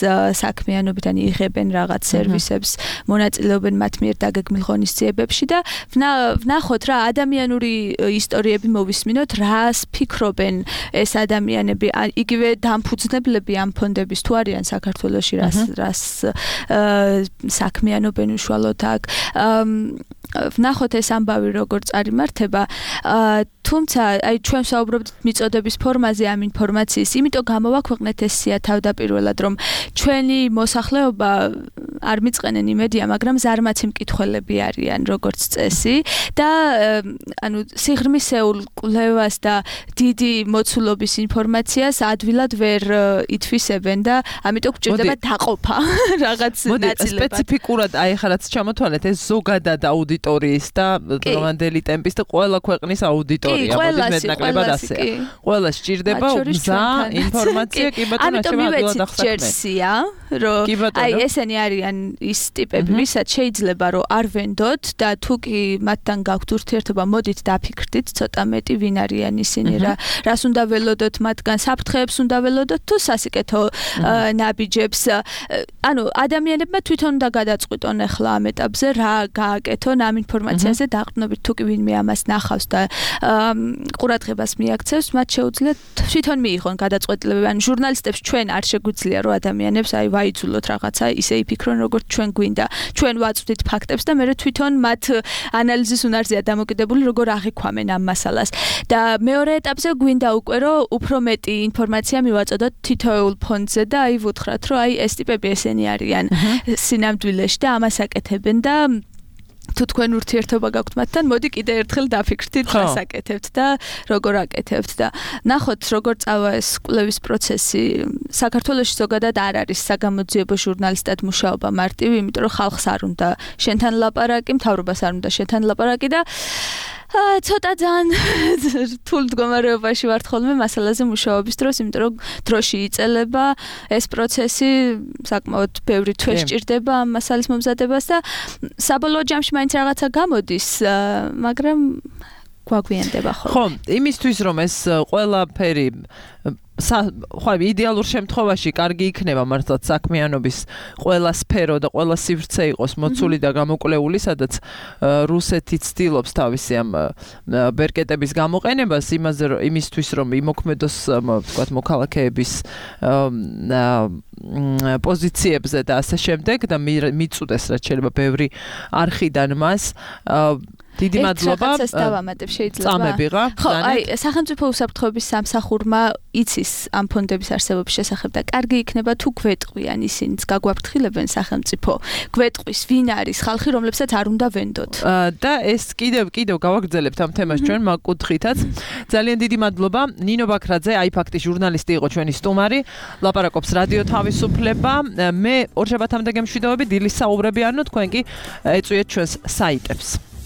S5: საქმიანობით, ან იღებენ რაღაც სერვისებს, მონაწილეობენ მათ მიერ დაგეგმილ ღონისძიებებში და ვნახოთ რა ადამიანური ისტორიები მოვისმინოთ, რას ფიქრობენ ეს ადამიანები, იგივე დამფუძნებლები ამ ფონდების თუ არიან საქართველოს რას რას საქმიანობენ უშუალოდ აქ ვნახოთ ეს ამბავი როგორ წარიმართება თუმცა აი ჩვენ საუბრობთ მიწოდების ფორმაზე ამ ინფორმაციის იმიტომ გამოვაქვეყნეთ ეს სია თავდაპირველად რომ ჩვენი მოსახლეობა არ მიწყენენ იმედია, მაგრამ ზარმაცი მკითხველები არიან როგორც წესი და ანუ სიღრმისეულ კვლევას და დიდი მოცულობის ინფორმაციას ადვილად ვერ ითვისებენ და ამიტომ გჭირდება დაყოფა რაღაც ნაწილებად.
S2: სპეციფიკურად აი ხა რაც ჩამოთვალეთ ეს ზოგადად აუდიტორიის და დღევანდელი ტემპის და ყველა ქვეყნის აუდიტორია მოდი მეტნაკლებად ასეა. ყველა სჭირდება გზა ინფორმაცია კი ბატონო
S5: ამიტომ ჯერსია რომ აი ესენი არიან ის ტიპები ვისაც შეიძლება რომ არ ვენდოთ და თუ კი მათთან გაქვთ ურთიერთობა მოდით დაფიქრდით ცოტა მეტი ვინ არიან ისინი რა რას უნდა ველოდოთ მათგან საფრთხეებს უნდა ველოდოთ თუ სასიკეთო ნაბიჯებს ანუ ადამიანებმა თვითონ უნდა გადაწყვიტონ ახლა ამ ეტაპზე რა გააკეთონ ამ ინფორმაციაზე დაყრდნობით თუ კი ვინმე ამას ნახავს და ყურადღებას მიაქცევს მათ შეუძლიათ თვითონ მიიღონ გადაწყვეტილებები ან ჟურნალისტებს ჩვენ არ შეგვიძლია რომ ადამიანებს აი ვაიძულოთ რაღაცა ისე იფიქრონ როგორც ჩვენ გვინდა ჩვენ ვაწვდით ფაქტებს და მე თვითონ მათ ანალიზის უნარზეა დამოკიდებული როგორ აღიქვამენ ამ მასალას და მეორე ეტაპზე გვინდა უკვე რომ უფრო მეტი ინფორმაცია მივაწოდოთ თითოეულ ფონდზე და აი ვუთხრათ რომ აი ეს ტიპები ესენი არიან სინამდვილეში და ამას აკეთებენ და თუ თქვენ ურთიერთობა გაქვთ მათთან, მოდი კიდე ერთხელ დაფიქრდით, რას აკეთებთ და როგორ აკეთებთ და ნახოთ როგორ წავა ეს კვლევის პროცესი. საქართველოში ზოგადად არ არის საგამოძიებო ჟურნალისტად მუშაობა მარტივი, იმიტომ რომ ხალხს არ უნდა შენთან ლაპარაკი, მთავრობას არ უნდა შენთან ლაპარაკი და აა ცოტა ძალიან რთულ მდგომარეობაში ვართ ხოლმე მასალაზე მუშაობის დროს, იმიტომ რომ დროში იწელება ეს პროცესი, საკმაოდ ბევრი თვე სჭირდება ამ მასალის მომზადებას და საბოლოო ჯამში მაინც რაღაცა გამოდის, მაგრამ გვაგვიანდება ხოლმე.
S2: ხო, იმისთვის რომ ეს ყველაფერი ხო იდეალურ შემთხვევაში კარგი იქნება მართლაც საქმიანობის ყველა სფერო და ყველა სივრცე იყოს მოცული და გამოკვლეული, სადაც რუსეთი ცდილობს თავისი ამ ბერკეტების გამოყენებას იმაზე რომ იმისთვის რომ იმოქმედოს ვთქვათ მოქალაქეების პოზიციებზე და ასე შემდეგ და მიწუდეს რაც შეიძლება ბევრი არხიდან მას დიდი მადლობა.
S5: ეს დავამატებ შეიძლება.
S2: წამები რა.
S5: ხო, აი, სახელმწიფო უსაფრთხოების სამსახურმა იცის ამ ფონდების არსებობის შესახებ და კარგი იქნება თუ გვეტყვიან ისინიც გაგვაფრთხილებენ სახელმწიფო. გვეტყვის ვინ არის ხალხი, რომლებსაც არ უნდა ვენდოთ.
S2: და ეს კიდევ კიდევ გავაგრძელებთ ამ თემას ჩვენ მაგ კუთხითაც. ძალიან დიდი მადლობა. ნინო ბაქრაძე, აი ფაქტი ჟურნალისტი იყო ჩვენი სტუმარი. ლაპარაკობს რადიო თავისუფლება. მე ორშაბათამდე გემშვიდობები, დილის საუბრები არნო, თქვენ კი ეწვიეთ ჩვენს საიტებს.